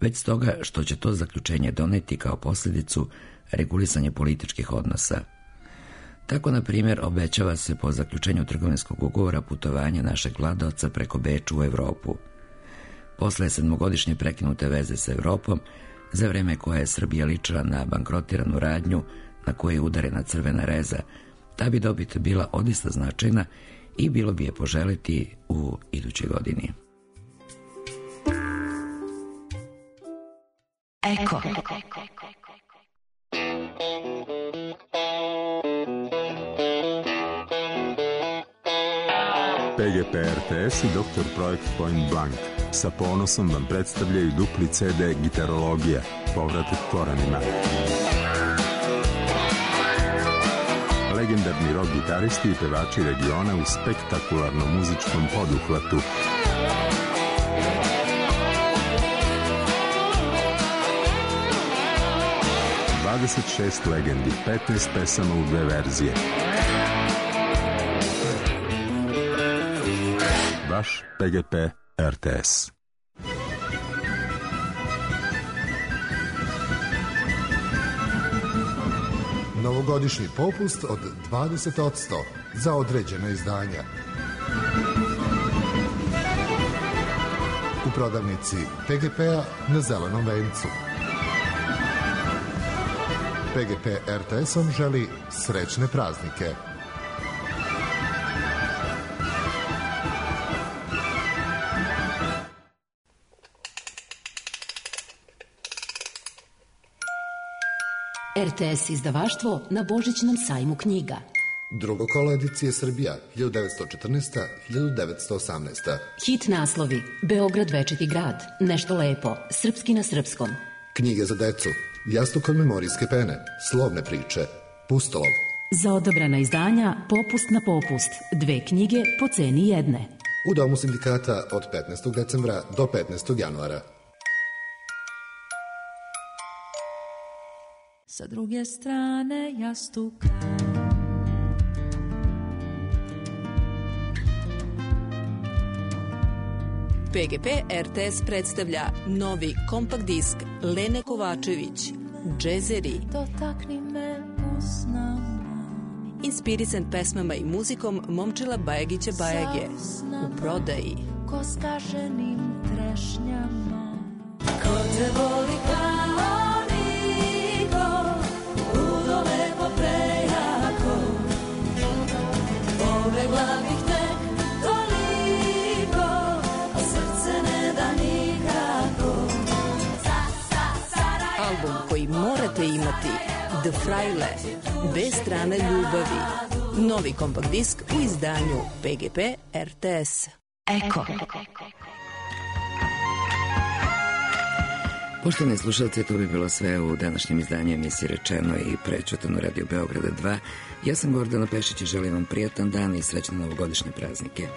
već stoga što će to zaključenje doneti kao posljedicu regulisanje političkih odnosa. Tako, na primjer, obećava se po zaključenju trgovinskog ugovora putovanje našeg vladaoca preko Beča u Evropu. Posle sedmogodišnje prekinute veze sa Evropom, za vreme koje je Srbija ličila na bankrotiranu radnju na koje je udarena crvena reza, ta bi dobit bila odista značajna i bilo bi je poželiti u idućoj godini. Eko. P G P R T S i doktor Projekt Point Blank sa ponosom vam predstavljaju dupli C D Gitarologija, povratak korenima. Legendarni rock gitaristi i pevači regiona u spektakularnom muzičkom poduhvatu. dvadeset šest legendi, petnaest pesama u dve verzije. Vaš P G P R T S. Novogodišnji popust od dvadeset posto za određena izdanja. U prodavnici P G P-a na Zelenom vencu. P G P R T S-om želi srećne praznike. R T S izdavaštvo na Božićnom sajmu knjiga. Drugo kolo edicije Srbija hiljadu devetsto četrnaesta do hiljadu devetsto osamnaesta. Hit naslovi: Beograd večiti grad, Nešto lepo, Srpski na srpskom. Knjige za decu, Jastuk od memorijske pene, Slovne priče, Pustolov. Za odabrana izdanja Popust na popust, dve knjige po ceni jedne. U Domu sindikata od petnaestog decembra do petnaestog januara. Sa druge strane jastuka P G P R T S predstavlja novi kompakt disk Lene Kovačević, Džezeri. Dotakni me usnama. Inspirisan pesmama i muzikom Momčila Bajagića Bajage. U prodaji. Ko skaženim trešnjama. Ko te voli kao niko, ludo lepo prejako. Pobegla bih te toliko, a srce ne da nikako. Album koji morate imati, The Fraile, dve strane ljubavi. Novi kompakt disk u izdanju P G P R T S. Eko. Poštovani slušalci, to bi bilo sve u današnjem izdanju emisije Rečeno i Prećutano Radio Beograda dva. Ja sam Gordana Pešić i želim vam prijatan dan i srećne novogodišnje praznike.